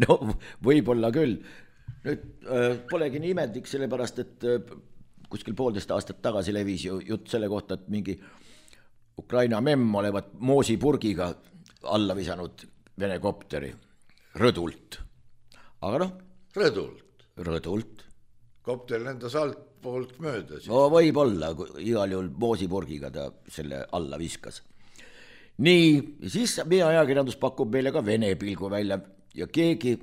No võib-olla küll. Nüüd äh, polegi nii imendik, sellepärast, et äh, kuskil poolteist aastat tagasi levis ju jutt selle kohta, et mingi Ukraina memm olevat moosipurgiga alla visanud Vene kopteri rõdult. Aga noh,
Rõdult.
Rõdult.
Kopter lendas alt poolt mööda.
No võib olla, igal juhul moosipurgiga ta selle alla viskas. Nii, siis meie ajakirjandus pakub meile ka Vene pilgu välja ja keegi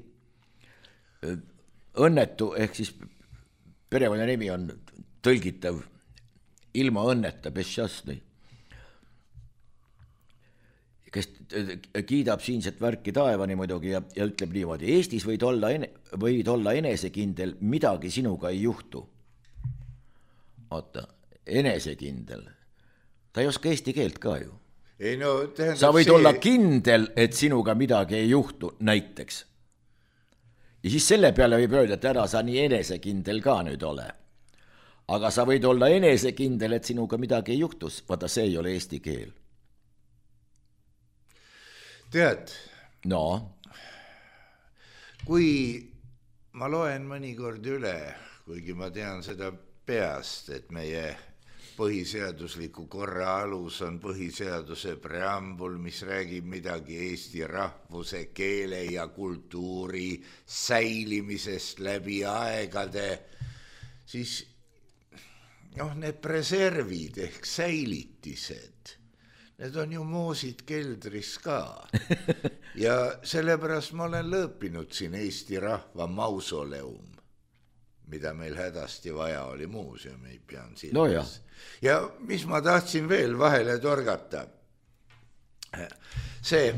õnnetu, ehk siis perekonna nimi on tõlgitav ilma õnneta, Beššasnõi, kes kiidab siinset värki taevani muidugi ja, ja ütleb niimoodi, Eestis võid olla, ene, võid olla enesekindel, midagi sinuga ei juhtu. Oota, enesekindel. Ta ei oska eesti keelt ka ju.
Ei, no,
sa võid
see...
olla kindel, et sinuga midagi ei juhtu, näiteks. Ja siis selle peale võib öelda, et ära sa nii enesekindel ka nüüd ole. Aga sa võid olla enesekindel, et sinuga midagi ei juhtus. Vaata, see ei ole eesti keel.
Tead,
no.
kui ma loen mõnikord üle, kuigi ma tean seda peast, et meie põhiseadusliku korra alus on põhiseaduse preambul, mis räägib midagi eesti rahvuse, keele ja kultuuri säilimisest läbi aegade, siis noh, need preservid ehk säilitised, need on ju moosid keldris ka. Ja sellepärast ma olen lõõpinud siin Eesti rahva mausoleum, mida meil hädasti vaja oli muuseum, ei pean silmas.
No ja.
ja mis ma tahtsin veel vahele torgata, see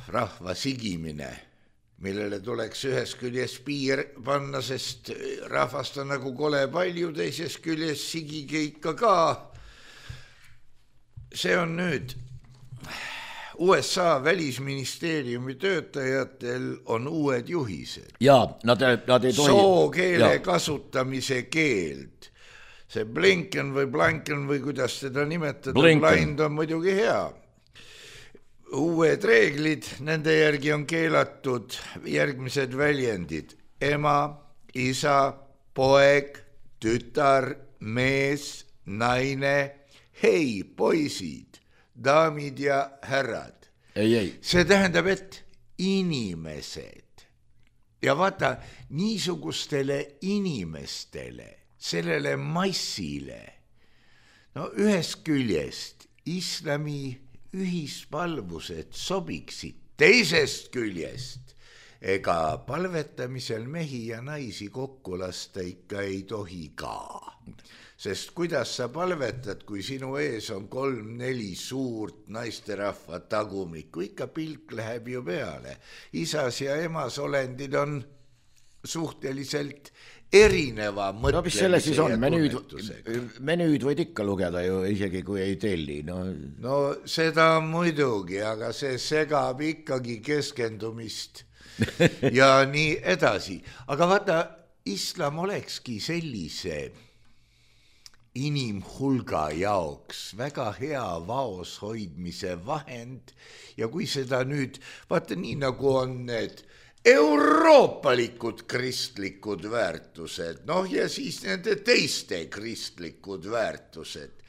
rahva sigimine, millele tuleks ühes küljes piir panna, sest rahvast on nagu kole palju, teises küljes sigige ikka ka. See on nüüd U S A välisministeeriumi töötajatel on uued juhised.
Jaa, nad, nad ei tohi...
Sookeele
ja.
kasutamise keeld. See Blinken või Blanken või kuidas teda nimetada, blind on muidugi hea. Uued reeglid, nende järgi on keelatud järgmised väljendid. Ema, isa, poeg, tütar, mees, naine, hei, poisid, daamid ja härrad.
Ei, ei.
See tähendab, et inimesed. Ja vaata, niisugustele inimestele, sellele massile, no ühest küljest islami ühispalvused sobiksid, teisest küljest ega palvetamisel mehi ja naisi kokku lasta ikka ei tohi ka. Sest kuidas sa palvetad, kui sinu ees on kolm-neli suurt naisterahva tagumikku, ikka pilk läheb ju peale. Isas ja emas olendid on suhteliselt erineva mõtlemise
no, mis selle siis on?
ja
menüüd,
tunnetusega.
Menüüd võid ikka lugeda ju, isegi kui ei telli. No,
no seda muidugi, aga see segab ikkagi keskendumist ja nii edasi. Aga vaata, islam olekski sellise inimhulga jaoks väga hea vaos hoidmise vahend ja kui seda nüüd, vaata nii nagu on need euroopalikud kristlikud väärtused, noh ja siis nende teiste kristlikud väärtused.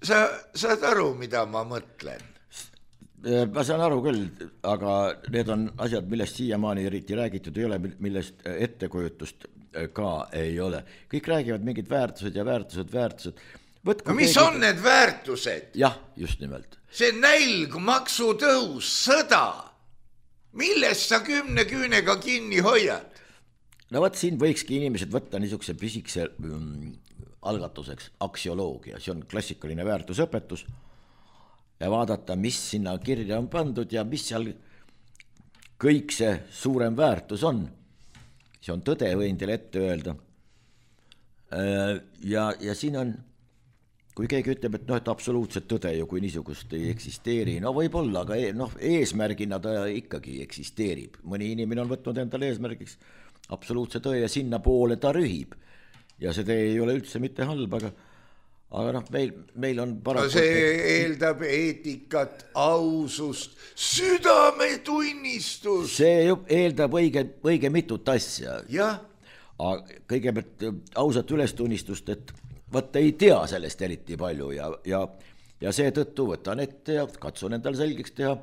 Sa saad aru, mida ma mõtlen?
Ma saan aru küll, aga need on asjad, millest siiamaani eriti räägitud ei ole, millest ettekujutust ka ei ole. Kõik räägivad mingid väärtused ja väärtused, väärtused. Võtku
no mis keegi... on need väärtused?
Jah, just nimelt.
See nälg, maksutõus, sõda. Millest sa kümne küünega kinni hoiad?
No võt, siin võikski inimesed võtta niisuguse pisikse mm, algatuseks aksioloogia. See on klassikaline väärtusõpetus ja vaadata, mis sinna kirja on pandud ja mis seal kõik see suurem väärtus on. See on tõde, võin teile ette öelda. Ja, ja siin on, kui keegi ütleb, et, no, et absoluutselt tõde ju, kui niisugust ei eksisteeri, no võib olla, aga no, eesmärgina ta ikkagi eksisteerib. Mõni inimene on võtnud endale eesmärgiks absoluutse tõe ja sinna poole ta rühib. Ja see tee ei ole üldse mitte halb, aga, aga noh, meil, meil on paraku...
No see eeldab eetikat, ausust, südametunnistus.
See eeldab õige, õige mitut asja.
Jah.
kõigepealt ausat ülestunnistust, et võtta ei tea sellest eriti palju ja, ja, ja seetõttu võtan ette ja katsun endal selgeks teha.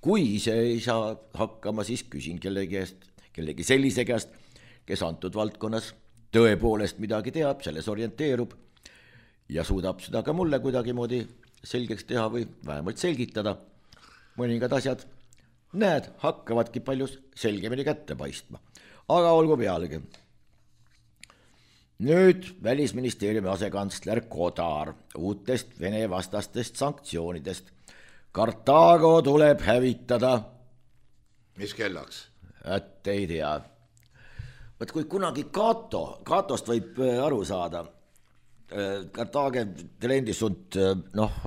Kui ise ei saa hakkama, siis küsin kellegi, eest, kellegi sellise käest, kes antud valdkonnas tõepoolest midagi teab, selles orienteerub ja suudab seda ka mulle kuidagi moodi selgeks teha või vähemalt selgitada. Mõningad asjad, näed, hakkavadki palju selgemini kätte paistma. Aga olgu pealegi. Nüüd Välisministeeriumi asekantsler Kodar uutest Vene vastastest sanktsioonidest. Kartaago tuleb hävitada.
Mis kellaks?
Et ei tea. Võt kui kunagi Kato, Katost võib aru saada, Kartaage trendisunt, noh,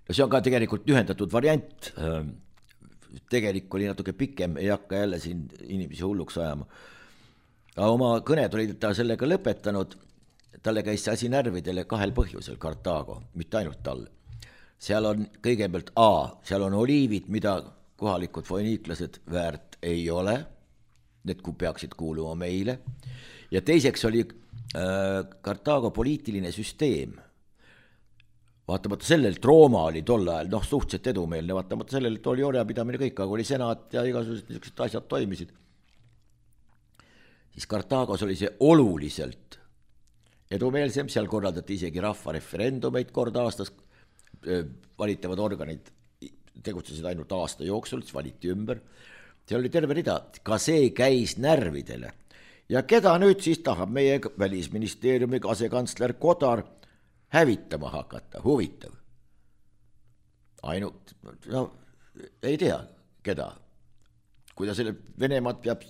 see on ka tegelikult ühendatud variant, tegelik oli natuke pikem, ei hakka jälle siin inimesi hulluks ajama. Aga oma kõned olid ta sellega lõpetanud, talle käis see asi närvidele kahel põhjusel Kartaago, mitte ainult talle. Seal on kõigepealt A, seal on oliivid, mida kohalikud foiniiklased väärt ei ole, need kui peaksid kuuluma meile, ja teiseks oli äh, Kartaago poliitiline süsteem. Vaatamata sellelt, Rooma oli tol ajal, noh, suhteliselt edumeelne, vaatamata sellelt oli orjapidamine kõik, aga oli senat ja igasugused niisugused asjad toimisid. Siis Kartaagos oli see oluliselt edumeelsem, seal korraldati isegi rahvareferendumeid kord aastas, valitavad organid tegutsesid ainult aasta jooksul, siis valiti ümber. See oli terve rida, ka see käis närvidele. Ja keda nüüd siis tahab meie Välisministeeriumi asekantsler Kodar hävitama hakata, huvitav. Ainult, no, ei tea, keda. Kui ta selle Venemaad peab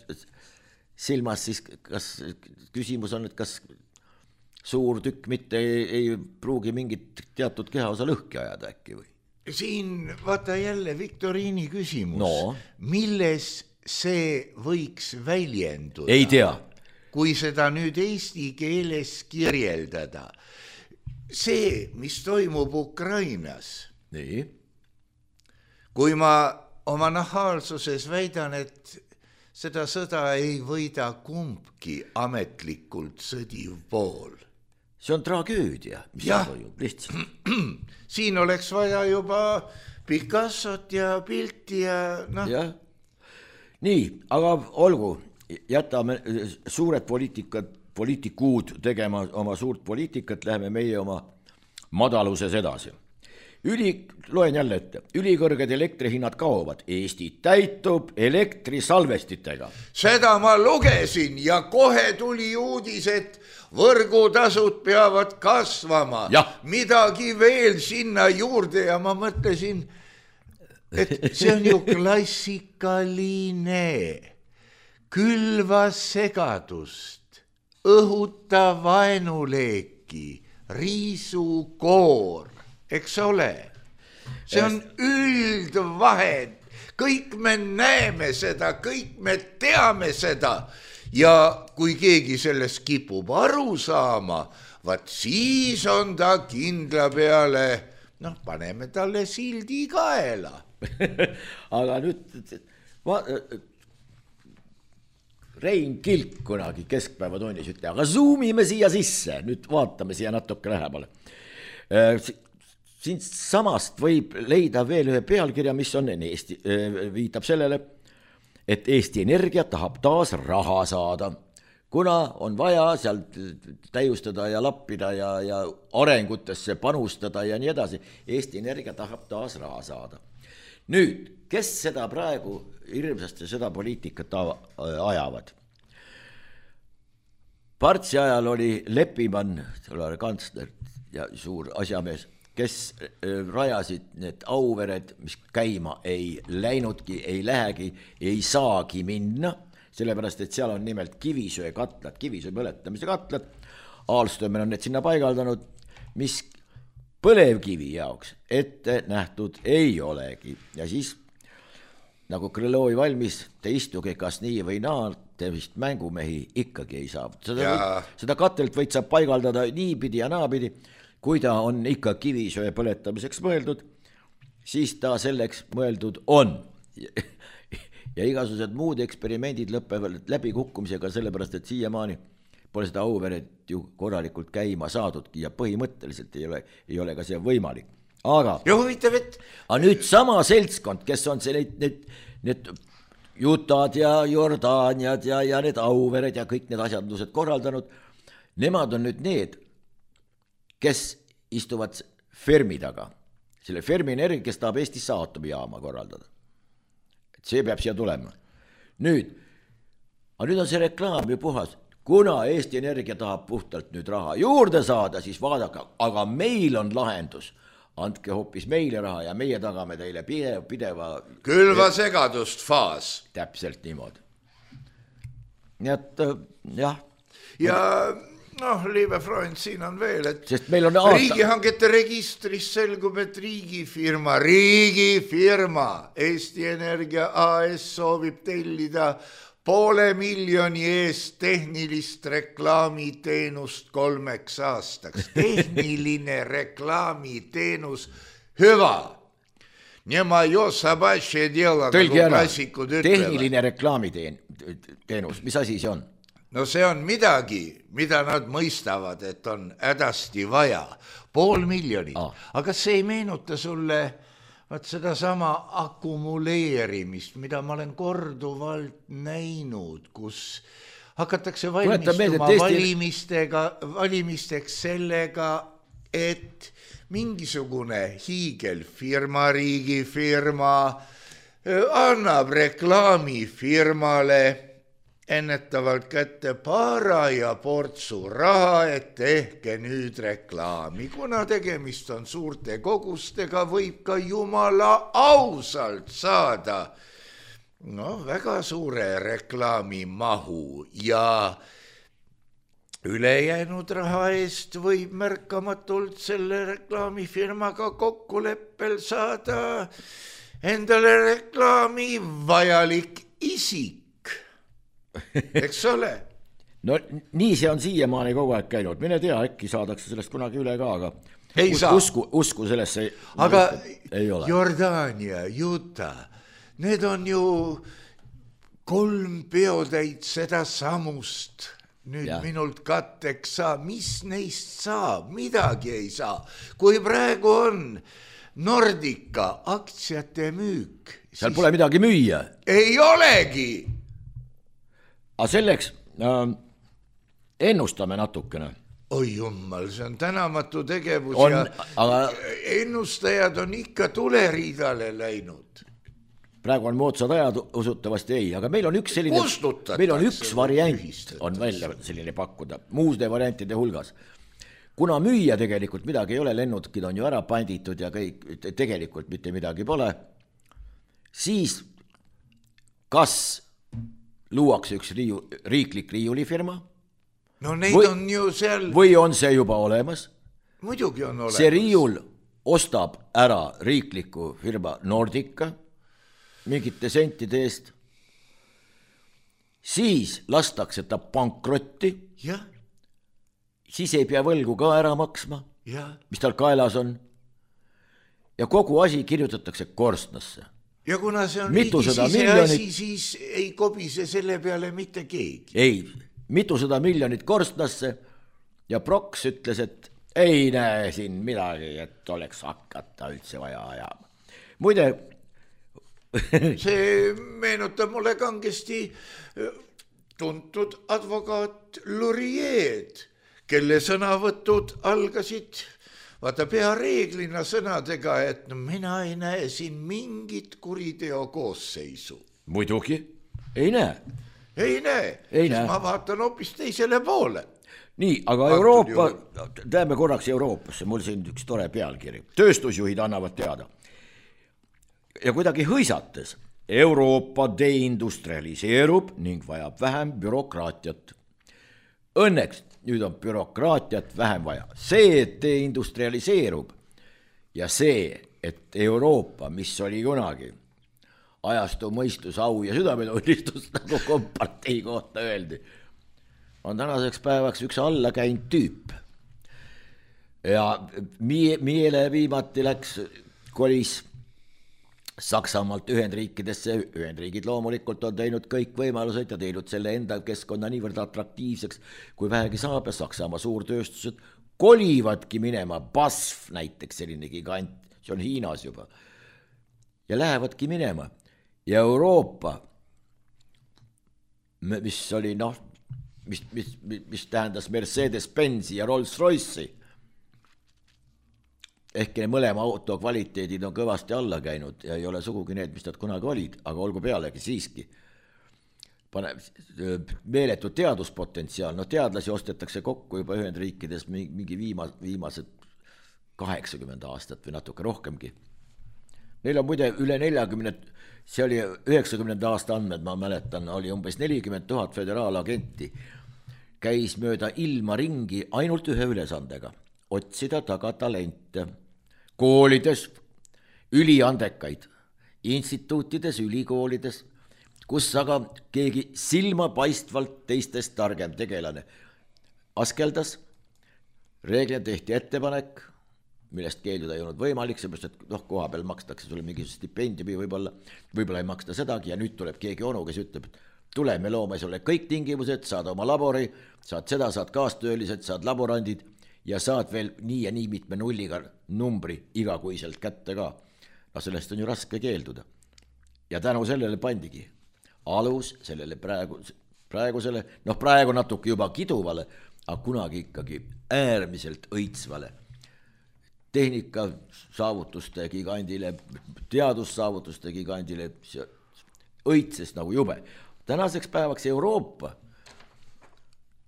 silmas, siis kas küsimus on, et kas suur tükk mitte ei, ei pruugi mingit teatud kehaosa lõhki ajada äkki või?
Siin vaata jälle Viktoriini küsimus,
no.
Milles see võiks väljenduda?
Ei tea.
Kui seda nüüd eesti keeles kirjeldada. See, mis toimub Ukrainas.
Nii.
Kui ma oma nahaalsuses väidan, et seda sõda ei võida kumbki ametlikult sõdiv pool.
See on tragöödia, mis ja. Toimub lihtsalt.
Siin oleks vaja juba Picassot ja pilti ja noh.
Ja. Nii, aga olgu, jätame suured poliitikad, poliitikuud tegema oma suurt poliitikat, läheme meie oma madaluses edasi. Üli, loen jälle ette, ülikõrged elektrihinnad kaovad, Eesti täitub elektrisalvestitega.
Seda ma lugesin ja kohe tuli uudis, et võrgutasud peavad kasvama.
Ja. Midagi
veel sinna juurde ja ma mõtlesin, et see on ju klassikaline. Külva segadust, õhuta vaenuleeki, riisu koor. Eks ole, see on üldvahed, kõik me näeme seda, kõik me teame seda ja kui keegi sellest kipub aru saama, vaat siis on ta kindla peale, noh, paneme talle sildi kaela.
Aga nüüd va, Rein Kilk kunagi keskpäevatunnis ütle, aga zoomime siia sisse, nüüd vaatame siia natuke lähemale. Siin samast võib leida veel ühe pealkirja, mis on Eesti, viitab sellele, et Eesti Energia tahab taas raha saada, kuna on vaja sealt täiustada ja lappida ja, ja arengutesse panustada ja nii edasi. Eesti Energia tahab taas raha saada. Nüüd, kes seda praegu hirmsasti seda poliitikat ajavad? Partsi ajal oli Leppimann, selle kantsler ja suur asjamees, kes rajasid need Auvered, mis käima ei läinudki, ei lähegi, ei saagi minna, sellepärast, et seal on nimelt kivisöe katlad, kivisöe põletamise katlad. Alstömen on need sinna paigaldanud, mis põlevkivi jaoks ette nähtud ei olegi. Ja siis, nagu Krõlovi valmis, te istuge kas nii või naa, te vist mängumehi ikkagi ei saa. Seda, võid, seda katelt võid sa paigaldada niipidi ja naapidi. Kui ta on ikka kivisöe põletamiseks mõeldud, siis ta selleks mõeldud on. ja igasugused muud eksperimendid lõpevad läbikukkumisega, sellepärast et siiamaani pole seda Auveret ju korralikult käima saadudki ja põhimõtteliselt ei ole, ei ole ka see võimalik. Aga,
ja huvitav, et...
aga nüüd sama seltskond, kes on see need, need, need Jutad ja Jordaaniad ja, ja need Auvered ja kõik need asjandused korraldanud, nemad on nüüd need, kes istuvad Fermi taga. Selle Fermi energia, kes tahab Eestisse aatomijaama korraldada. Et see peab siia tulema. Nüüd, aga nüüd on see reklaam ju puhas. Kuna Eesti Energia tahab puhtalt nüüd raha juurde saada, siis vaadake, aga meil on lahendus. Andke hoopis meile raha ja meie tagame teile pideva, pideva...
Külva segadust faas.
Täpselt niimoodi. Nii et jah.
Ja noh, liive Freund, siin on veel, et
sest meil on aasta...
riigihangete registris selgub, et riigifirma, riigifirma Eesti Energia A S soovib tellida poole miljoni eest tehnilist reklaamiteenust kolmeks aastaks. Tehniline reklaamiteenus, hüva. Nema jo sabaše djela, nagu klassikud ütlevad.
Tehniline reklaamiteenus, mis asi see on?
No see on midagi, mida nad mõistavad, et on hädasti vaja. Pool miljonit. Ah. Aga see ei meenuta sulle... Vaat seda sama akumuleerimist, mida ma olen korduvalt näinud, kus hakatakse valmistuma valimistega, valimisteks sellega, et mingisugune hiigelfirma, riigifirma annab reklaamifirmale ennetavalt kätte para ja portsu raha, et tehke nüüd reklaami. Kuna tegemist on suurte kogustega, võib ka jumala ausalt saada no, väga suure reklaamimahu ja ülejäänud raha eest võib märkamatult selle reklaamifirmaga kokkuleppel saada endale reklaami vajalik isik. Eks ole?
No nii see on siiamaani kogu aeg käinud. Mine tea, äkki saadakse sellest kunagi üle ka, aga
ei
us, usku, usku sellesse
aga
ei ole.
Jordaania, Juta, need on ju kolm peotäit seda samust. Nüüd ja. Minult katteks saa, mis neist saab, midagi ei saa. Kui praegu on Nordica aktsiate müük,
seal siis... pole midagi müüa.
Ei olegi.
Aga selleks äh, ennustame natukene.
Oi jummal, see on tänamatu tegevus
on,
ja
aga...
ennustajad on ikka tuleriidale läinud.
Praegu on moodsad ajad, usutavasti ei, aga meil on üks selline, meil on üks variant on välja selline pakkuda, muude variantide hulgas. Kuna müüa tegelikult midagi ei ole, lennukid on ju ära panditud ja kõik, tegelikult mitte midagi pole, siis kas luuakse üks riiu, riiklik riiulifirma?
No neid või, on ju seal...
Või on see juba olemas?
Muidugi on olemas.
See riiul ostab ära riikliku firma Nordica mingite sentide eest. Siis lastakse ta pankrotti.
Ja.
Siis ei pea võlgu ka ära maksma,
ja.
Mis tal kaelas on. Ja kogu asi kirjutatakse korstnasse.
Ja kuna see on
mitu
riigi sise
miljonit...
asi, siis ei kobise selle peale mitte keegi.
Ei, mitusada miljonit korstnasse ja Proks ütles, et ei näe siin midagi, et oleks hakata üldse vaja ajama. Muide...
see meenutab mulle kangesti tuntud advokaat Lurieed, kelle sõnavõtud algasid... Vaata pea reeglina sõnadega, et no mina ei näe siin mingit kuriteo koosseisu.
Muidugi, ei näe.
Ei näe,
ei
siis
näe.
Ma vaatan hoopis teisele poole.
Nii, aga Antud Euroopa, teeme korraks Euroopasse, mul siin üks tore pealkiri. Tööstusjuhid annavad teada. Ja kuidagi hõisates, Euroopa deindustrialiseerub ning vajab vähem bürokraatiat. Õnneks nüüd on bürokraatiat vähem vaja. See, et deindustrialiseerub ja see, et Euroopa, mis oli kunagi ajastu mõistus, au ja südametunnistus, nagu kompartei kohta öeldi, on tänaseks päevaks üks allakäinud tüüp. Ja Miele viimati läks, kolis Saksamaalt Ühendriikidesse, Ühendriigid loomulikult on teinud kõik võimalused ja teinud selle enda keskkonna niivõrd atraktiivseks, kui vähegi saab ja Saksamaa suurtööstused kolivadki minema, B A S F näiteks selline gigant, see on Hiinas juba, ja lähevadki minema. Ja Euroopa, mis oli noh, mis, mis, mis tähendas Mercedes-Benzi ja Rolls-Royce'i, ehkki mõlema auto kvaliteedid on kõvasti alla käinud ja ei ole sugugi need, mis nad kunagi olid, aga olgu pealegi siiski. Pane, meeletu teaduspotentsiaal, no teadlasi ostetakse kokku juba Ühendriikides mingi viima, viimased kaheksakümmend aastat või natuke rohkemgi. Neil on muide üle neljakümne, see oli üheksakümnenda aasta andmed, ma mäletan, oli umbes nelikümmend tuhat föderaalagenti, käis mööda ilma ringi ainult ühe ülesandega, otsida taga talente. Koolides, üliandekaid, instituutides, ülikoolides, kus aga keegi silmapaistvalt teistest targem tegelane askeldas, reeglina tehti ettepanek, millest keelduda ei olnud võimalik, seepärast, et noh, koha peal makstakse sulle mingi stipendiumi võib-olla, võib-olla ei maksta sedagi ja nüüd tuleb keegi onu, kes ütleb, et tule, me loome sulle kõik tingimused, saad oma labori, saad seda, saad kaastöölised, saad laborandid, ja saad veel nii ja nii mitme nulliga numbri igakuiselt kätte ka. No sellest on ju raske keelduda. Ja tänu sellele pandigi alus sellele praegu, praegusele, noh praegu natuke juba kiduvale, aga kunagi ikkagi äärmiselt õitsvale tehnika saavutuste gigandile, teadussaavutuste gigandile, õitses nagu jube. Tänaseks päevaks Euroopa,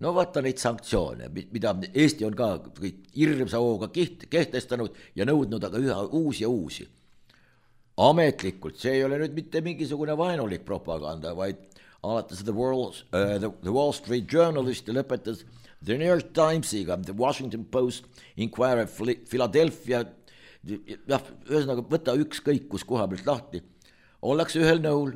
no vaata neid sanktsioone, mida Eesti on ka hirmsa hooga kehtestanud ja nõudnud aga üha uusi ja uusi. Ametlikult, see ei ole nüüd mitte mingisugune vaenulik propaganda, vaid alates The Wall, uh, the, the Wall Street Journalist ja lõpetas The New York Timesiga, The Washington Post, Inquirer, Philadelphia, jah, ühesõnaga võta ükskõik kus koha pealt lahti, ollakse ühel nõul.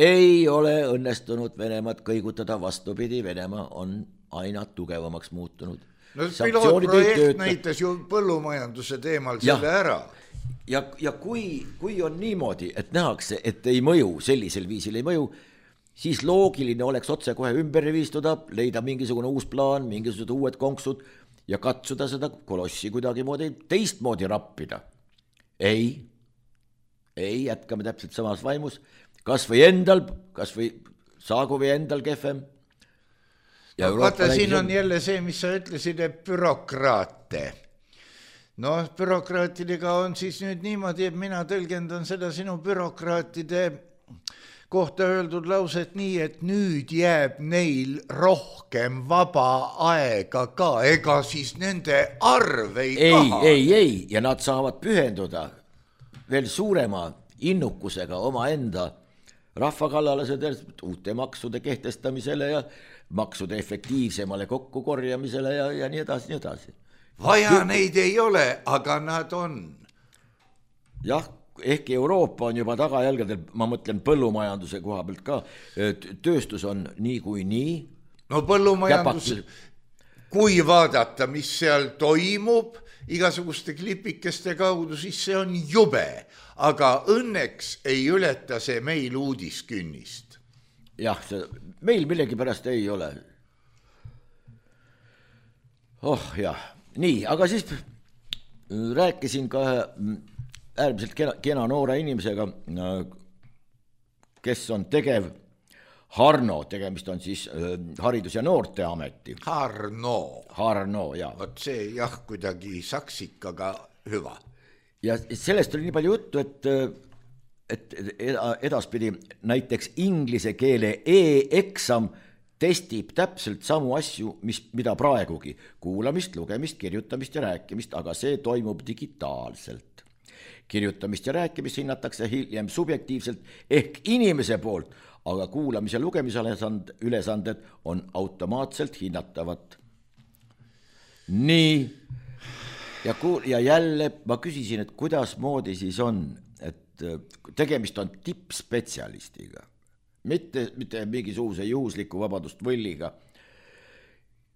Ei ole õnnestunud Venemaad kõigutada, vastupidi, Venemaa on aina tugevamaks muutunud.
No pilootprojekt näitas ju põllumajanduse teemal ja, selle ära.
Ja, ja kui, kui on niimoodi, et nähakse, et ei mõju, sellisel viisil ei mõju, siis loogiline oleks otse kohe ümber viistuda, leida mingisugune uus plaan, mingisugused uued konksud ja katsuda seda kolossi kuidagi moodi teistmoodi rappida. Ei, ei, jätkame täpselt samas vaimus. Kas või endal, kas või saagu või endal kehvem.
No, vaata, siin on jälle see, mis sa ütlesid, et bürokraate. No, bürokraatidega on siis nüüd niimoodi, et mina tõlgendan seda sinu bürokraatide kohta öeldud lauset nii, et nüüd jääb neil rohkem vaba aega ka, ega siis nende arv ei kaha.
Ei, ei, ei, ja nad saavad pühenduda veel suurema innukusega oma enda rahva kallale uute maksude kehtestamisele ja maksude efektiivsemale kokkukorjamisele ja, ja nii edasi, nii edasi.
Vaja neid ei ole, aga nad on.
Jah, ehkki Euroopa on juba tagajälgedel, ma mõtlen põllumajanduse koha pealt ka, tööstus on nii kui nii.
No põllumajandus, kui vaadata, mis seal toimub igasuguste klipikeste kaudu, siis see on jube. Aga õnneks ei ületa see meil uudiskünnist.
Jah, see, meil millegi pärast ei ole. Oh jah, nii, aga siis rääkisin ka äärmiselt kena, kena noore inimesega, kes on tegev Harno, tegemist on siis Haridus- ja Noorteameti.
Harno.
Harno, jah.
Vot see jah, kuidagi saksikaga hüva.
Ja sellest oli nii palju juttu, et, et edaspidi näiteks inglise keele e-eksam testib täpselt samu asju, mis, mida praegugi. Kuulamist, lugemist, kirjutamist ja rääkimist, aga see toimub digitaalselt. Kirjutamist ja rääkimist hinnatakse hiljem subjektiivselt ehk inimese poolt, aga kuulamise ja lugemise ülesanded on automaatselt hinnatavad. Nii. Ja, kuul, ja jälle ma küsisin, et kuidas moodi siis on, et tegemist on tippspetsialistiga, mitte, mitte mingisuguse juhusliku vabadust võlliga.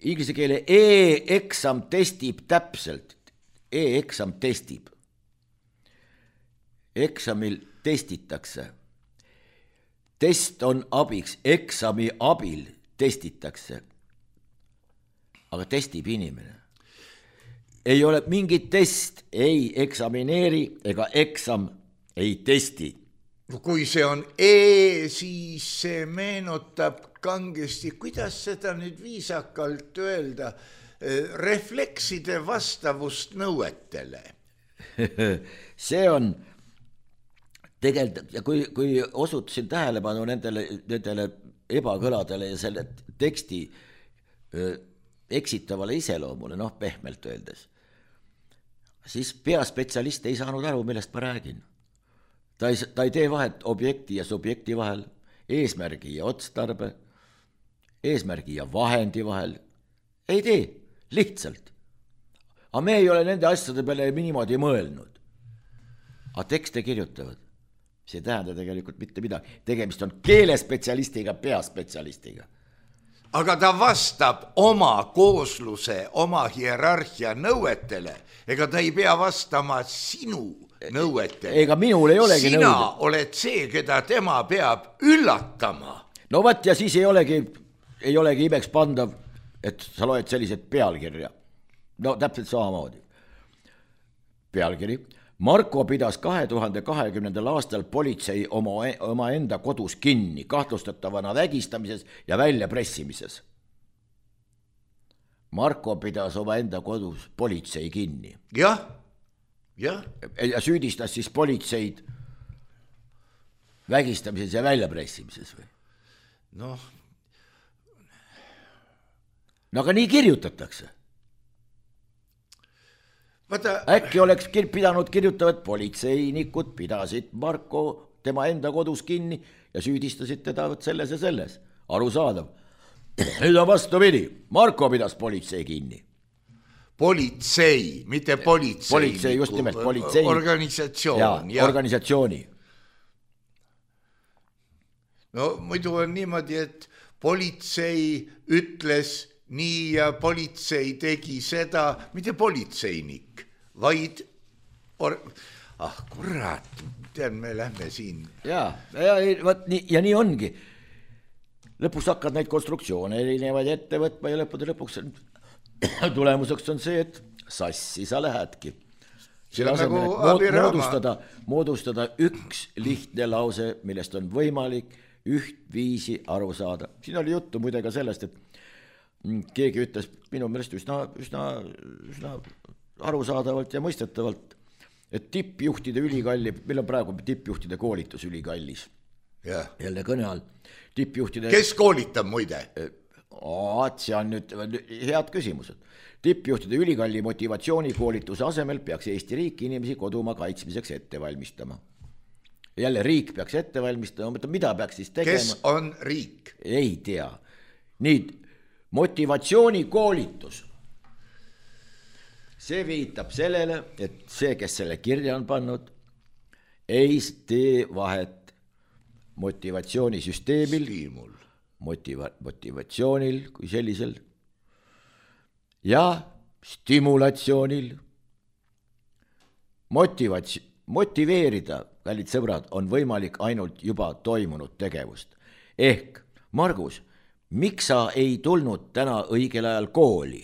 Inglise keele e-eksam testib täpselt, e-eksam testib eksamil testitakse. Test on abiks, eksami abil testitakse. Aga testib inimene. Ei ole mingit test, ei eksamineeri ega eksam ei testi.
Kui see on E, siis see meenutab kangesti, kuidas seda nüüd viisakalt öelda, reflekside vastavust nõuetele.
See on tegelikult, ja kui, kui osutasin tähelepanu nendele, nendele ebakõladele ja selle teksti eksitavale iseloomule, noh pehmelt öeldes, siis peaspetsialist ei saanud aru, millest ma räägin. Ta ei, ta ei tee vahet objekti ja subjekti vahel, eesmärgi ja otstarbe, eesmärgi ja vahendi vahel. Ei tee, lihtsalt. Aga me ei ole nende asjade peale niimoodi mõelnud. Aga tekste kirjutavad. See ei tähenda tegelikult mitte midagi. Tegemist on keelespetsialistiga, peaspetsialistiga.
Aga ta vastab oma koosluse, oma hierarhia nõuetele, ega ta ei pea vastama sinu nõuetele.
Ega minul ei olegi
Sina
nõude.
oled see, keda tema peab üllatama.
No võt, ja siis ei olegi, ei olegi imeks pandav, et sa loed sellised pealkirja. No täpselt samamoodi. Pealkiri. Marko pidas kahe tuhande kahekümnendal aastal politsei oma, oma enda kodus kinni, kahtlustatavana vägistamises ja väljapressimises. Marko pidas oma enda kodus politsei kinni.
Jah, jah.
Ja süüdistas siis politseid vägistamises ja väljapressimises või?
Noh.
No aga nii kirjutatakse.
Vaata,
Äkki oleks kir- pidanud kirjutavat politseinikud pidasid Marko tema enda kodus kinni ja süüdistasid teda selles ja selles. Arusaadav. Nüüd on vastupidi. Marko pidas politsei kinni.
politsei, mitte politsei.
Politsei, just nimelt, politsei.
Organisatsioon.
Ja,
ja.
organisatsiooni.
No muidu on niimoodi, et politsei ütles nii ja politsei tegi seda, mitte politseinik, vaid or... ah kurat, tean, me lähme siin.
Ja, ja, võt, nii, ja nii ongi. Lõpus hakkad neid konstruktsioone erinevaid ette võtma ja lõppude lõpuks tulemuseks on see, et sassi sa lähedki.
See on nagu
abiraama. Moodustada, moodustada üks lihtne lause, millest on võimalik üht viisi aru saada. Siin oli juttu muide ka sellest, et keegi ütles minu meelest üsna, üsna, üsna arusaadavalt ja mõistetavalt, et tippjuhtide ülikalli, meil on praegu tippjuhtide koolitus ülikallis.
Ja.
Jälle kõne all. Tippjuhtide...
Kes koolitab muide?
Aat, see on nüüd head küsimused. Tippjuhtide ülikalli motivatsioonikoolituse asemel peaks Eesti riik inimesi kodumaa kaitsmiseks ette valmistama. Jälle riik peaks ette valmistama, mida peaks siis tegema?
Kes on riik?
Ei tea. Nii, motivatsioonikoolitus. See viitab sellele, et see, kes selle kirja on pannud, ei tee vahet motivatsioonisüsteemil, motiva, motivatsioonil kui sellisel ja stimulatsioonil. Motivats, motiveerida, kallid sõbrad, on võimalik ainult juba toimunud tegevust. Ehk, Margus, miks sa ei tulnud täna õigel ajal kooli?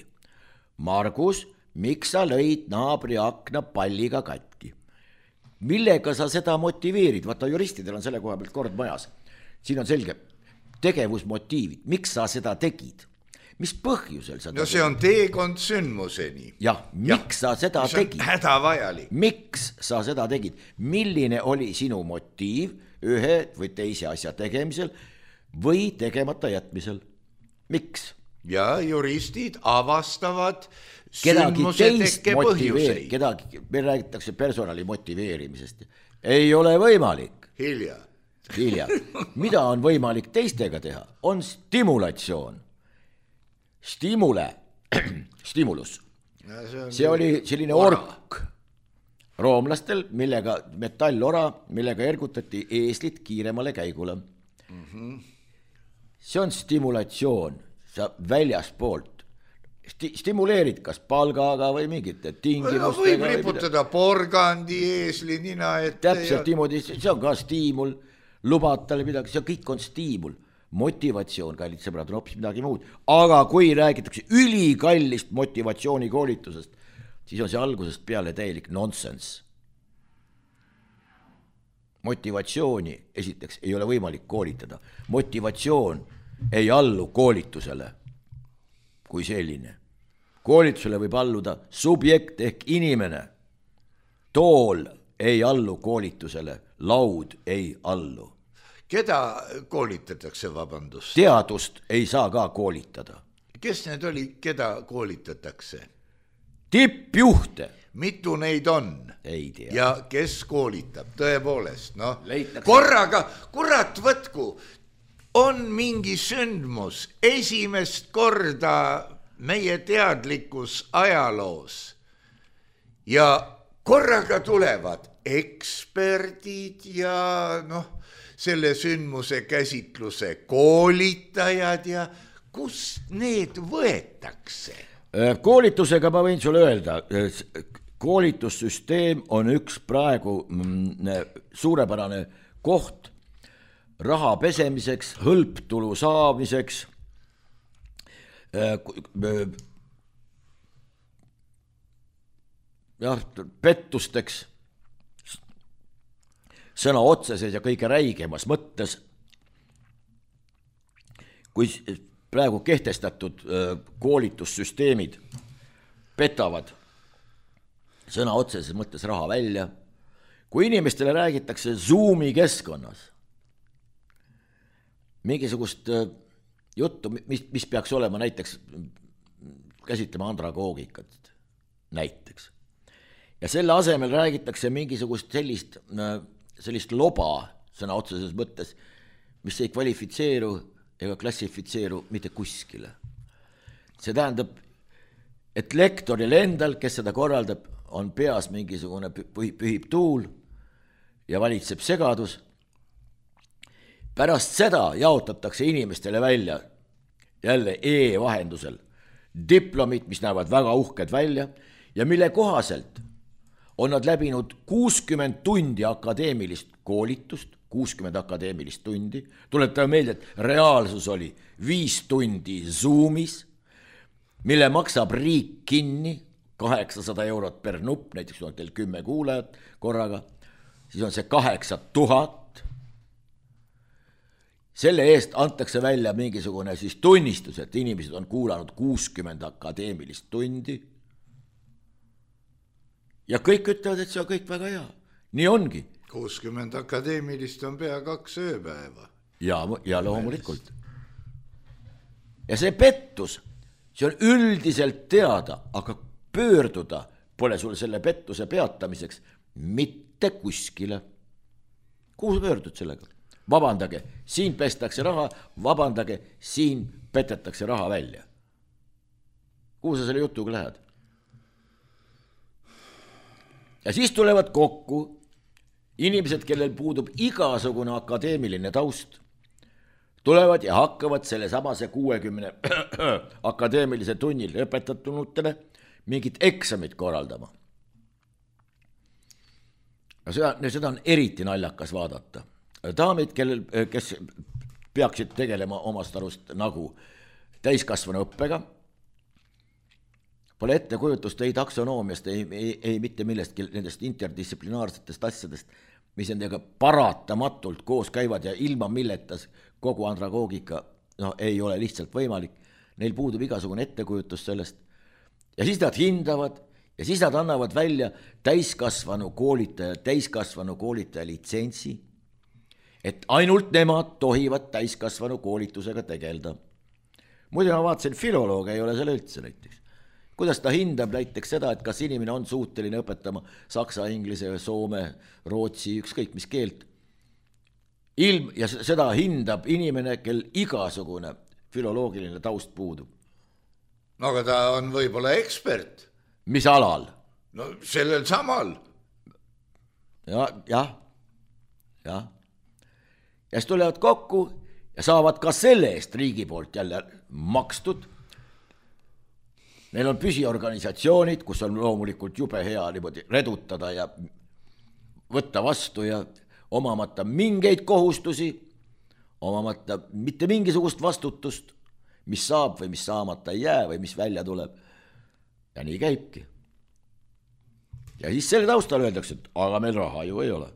Margus, miks sa lõid naabri akna palliga katki? Millega sa seda motiveerid? Vaata, juristidel on selle koha pealt kord majas. Siin on selge tegevusmotiivid. Miks sa seda tegid? Mis põhjusel sa
no see on teekond sündmuseni.
Jah, miks ja, sa seda tegid?
Hädavajalik.
Miks sa seda tegid? Milline oli sinu motiiv ühe või teise asja tegemisel või tegemata jätmisel? Miks?
Ja juristid avastavad
kedagi
sündmuse tekke põhjuseid.
Kedagi, me räägitakse personali motiveerimisest. Ei ole võimalik.
Hilja.
Hilja. Mida on võimalik teistega teha? On stimulatsioon. Stimule, stimulus. See, see oli selline ora. Ork roomlastel, millega metallora, millega ergutati eeslit kiiremale käigule. Mm-hmm. See on stimulatsioon, sa väljaspoolt. sti- stimuleerid kas palgaga või mingite tingimustega.
Võib riputada porgandi, eesli, nina ette.
Täpselt ja... niimoodi, see on ka stiimul, lubad talle midagi, see kõik on stiimul. Motivatsioon, kallid sõbrad, on hoopis midagi muud. Aga kui räägitakse ülikallist motivatsioonikoolitusest, siis on see algusest peale täielik nonsense. Motivatsiooni esiteks ei ole võimalik koolitada. Motivatsioon ei allu koolitusele kui selline. Koolitusele võib alluda subjekt ehk inimene. Tool ei allu koolitusele, laud ei allu.
Keda koolitatakse, vabandust?
Teadust ei saa ka koolitada.
Kes need oli, keda koolitatakse?
Tippjuhte.
Mitu neid on?
Ei tea.
Ja kes koolitab? Tõepoolest, noh.
Leitakse.
Korraga, kurat võtku, on mingi sündmus esimest korda meie teadlikus ajaloos ja korraga tulevad eksperdid ja noh, selle sündmuse käsitluse koolitajad ja kust need võetakse?
Koolitusega ma võin sulle öelda, koolitussüsteem on üks praegu suurepärane koht raha pesemiseks, hõlptulu saamiseks, jah, pettusteks, sõna otseses ja kõige räigemas mõttes, kui praegu kehtestatud koolitussüsteemid petavad sõna otseses mõttes raha välja, kui inimestele räägitakse Zoomi keskkonnas mingisugust juttu, mis, mis peaks olema näiteks, käsitlema andragoogikat näiteks. Ja selle asemel räägitakse mingisugust sellist, sellist loba sõna otseses mõttes, mis ei kvalifitseeru ega klassifitseeru mitte kuskile. See tähendab, et lektoril endal, kes seda korraldab, on peas mingisugune pühib tuul ja valitseb segadus. Pärast seda jaotatakse inimestele välja jälle e-vahendusel diplomid, mis näevad väga uhked välja ja mille kohaselt on nad läbinud kuuskümmend tundi akadeemilist koolitust, kuuskümmend akadeemilist tundi, tuletan meelde, et reaalsus oli viis tundi Zoomis, mille maksab riik kinni kaheksasada eurot per nupp, näiteks on teil kümme kuulajat korraga, siis on see kaheksa tuhat. Selle eest antakse välja mingisugune siis tunnistus, et inimesed on kuulanud kuuskümmend akadeemilist tundi. Ja kõik ütlevad, et see on kõik väga hea. Nii ongi.
kuuskümmend akadeemilist on pea kaks ööpäeva.
Ja, ja loomulikult. Ja see pettus, see on üldiselt teada, aga pöörduda pole sul selle pettuse peatamiseks mitte kuskile. Kuhu pöördud sellega? Vabandage, siin pestakse raha, vabandage, siin petetakse raha välja. Kuhu sa selle jutuga lähed? Ja siis tulevad kokku inimesed, kellel puudub igasugune akadeemiline taust, tulevad ja hakkavad selle samase kuuekümne akadeemilise tunnil õpetatunutele mingit eksamit korraldama. Ja seda, seda on eriti naljakas vaadata. Daamid, kellel, kes peaksid tegelema omast arust nagu täiskasvanu õppega, pole ette kujutust ei taksonoomiast, ei, ei, ei mitte millestki nendest interdistsiplinaarsetest asjadest, mis nendega paratamatult koos käivad ja ilma milletas kogu andragoogika no, ei ole lihtsalt võimalik. Neil puudub igasugune ettekujutus sellest. Ja siis nad hindavad ja siis nad annavad välja täiskasvanu koolitaja, täiskasvanu koolitaja litsentsi, et ainult nemad tohivad täiskasvanu koolitusega tegelda. Muidu ma vaatasin, filoloog ei ole selle üldse näiteks. Kuidas ta hindab näiteks seda, et kas inimene on suuteline õpetama saksa, inglise, soome, rootsi, ükskõik mis keelt. Ilm, ja seda hindab inimene, kel igasugune filoloogiline taust puudub.
No aga ta on võib-olla ekspert.
Mis alal?
No sellel samal.
Ja, jah, jah. Ja siis tulevad kokku ja saavad ka selle eest riigi poolt jälle makstud neil on püsiorganisatsioonid, kus on loomulikult jube hea niimoodi redutada ja võtta vastu ja omamata mingeid kohustusi, omamata mitte mingisugust vastutust, mis saab või mis saamata ei jää või mis välja tuleb. Ja nii käibki. Ja siis selle taustal öeldakse, et aga meil raha ju ei ole.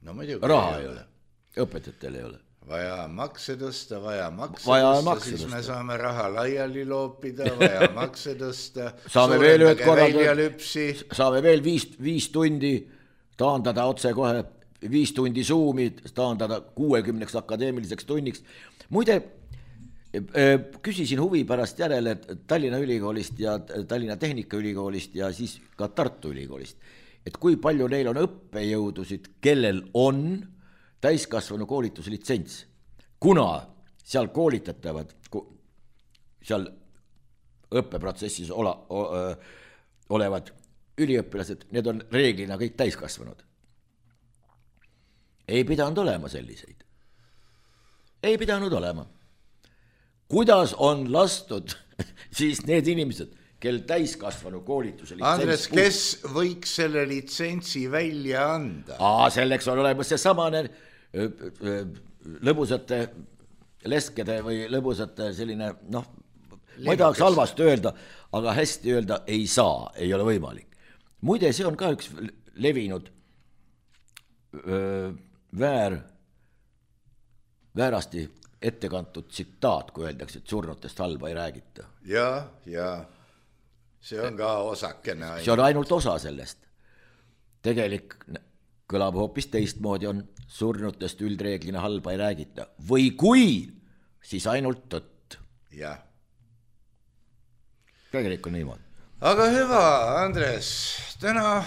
No muidugi
raha ei ole. Õpetajatel ei ole.
Vaja makse tõsta, vaja makse
vaja
tõsta,
makse
siis
tõsta.
me saame raha laiali loopida, vaja makse tõsta,
saame veel ühed
korraldada,
saame veel viis, viis tundi taandada otse kohe, viis tundi Zoomi taandada kuuekümneks akadeemiliseks tunniks. Muide, küsisin huvi pärast järele Tallinna Ülikoolist ja Tallinna Tehnikaülikoolist ja siis ka Tartu Ülikoolist, et kui palju neil on õppejõudusid, kellel on täiskasvanu koolituslitsents, kuna seal koolitatavad, seal õppeprotsessis ola, o, olevad üliõpilased, need on reeglina kõik täiskasvanud. Ei pidanud olema selliseid. Ei pidanud olema. Kuidas on lastud siis need inimesed, kel täiskasvanu koolituse litsents...
Andres, kes võiks selle litsentsi välja anda?
Aa, selleks on olemas see samane lõbusate leskede või lõbusate selline, noh, ma ei tahaks halvasti öelda, aga hästi öelda ei saa, ei ole võimalik. Muide, see on ka üks levinud öö, väär, väärasti ettekantud tsitaat, kui öeldakse, et surnutest halba ei räägita.
Ja, ja see on ka osakene ainult.
See on ainult osa sellest. Tegelik kõlab hoopis teistmoodi, on surnutest üldreeglina halba ei räägita. Või kui, siis ainult tõtt.
Jah.
Tegelik on niimoodi.
Aga hüva, Andres, täna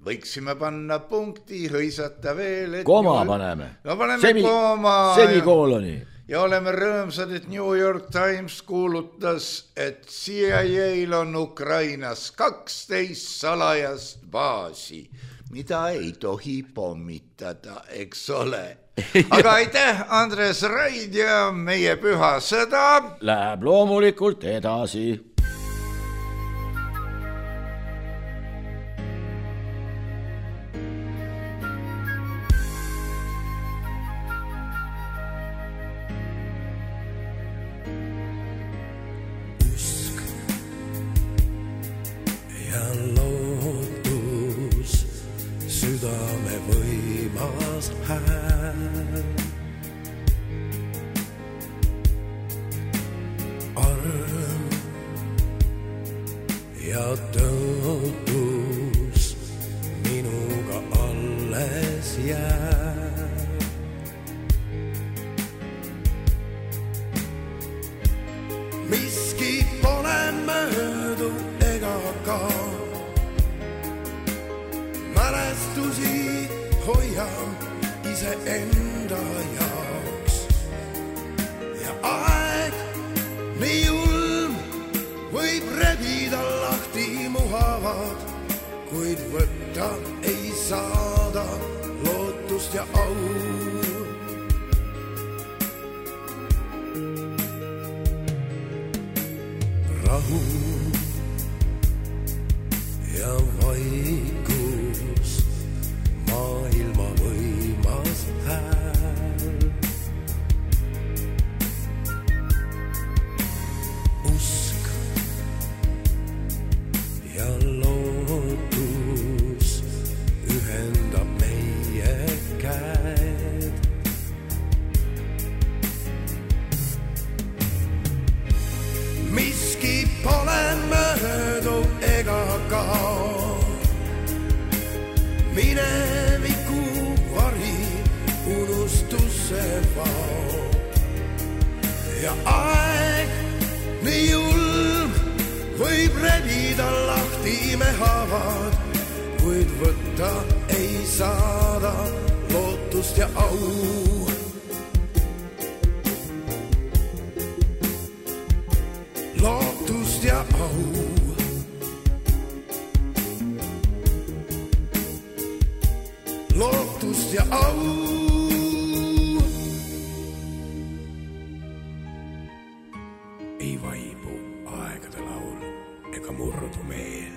võiksime panna punkti, hõisata veel. Et
Koma
New...
paneme.
No paneme
Semi...
koma.
Semikooloni.
Ja oleme rõõmsad, et New York Times kuulutas, et C I A-l on Ukrainas kaksteist salajast baasi, mida ei tohi pommitada, eks ole. Aga aitäh, Andres Raid ja meie püha sõda.
Läheb loomulikult edasi.
Ei vaibu ka murdumeel.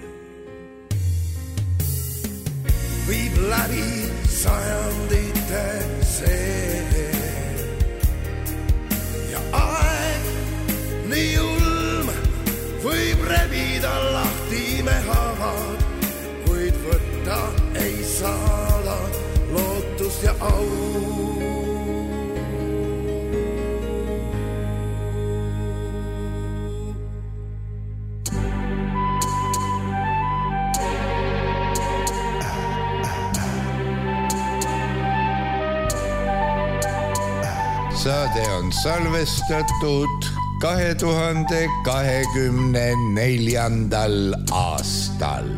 Viib läbi sajandite see ja aeg nii julm võib rebida lahti me haavad, kuid võtta ei saada lootust ja au.
Saade on salvestatud kahe tuhande kahekümne neljandal aastal.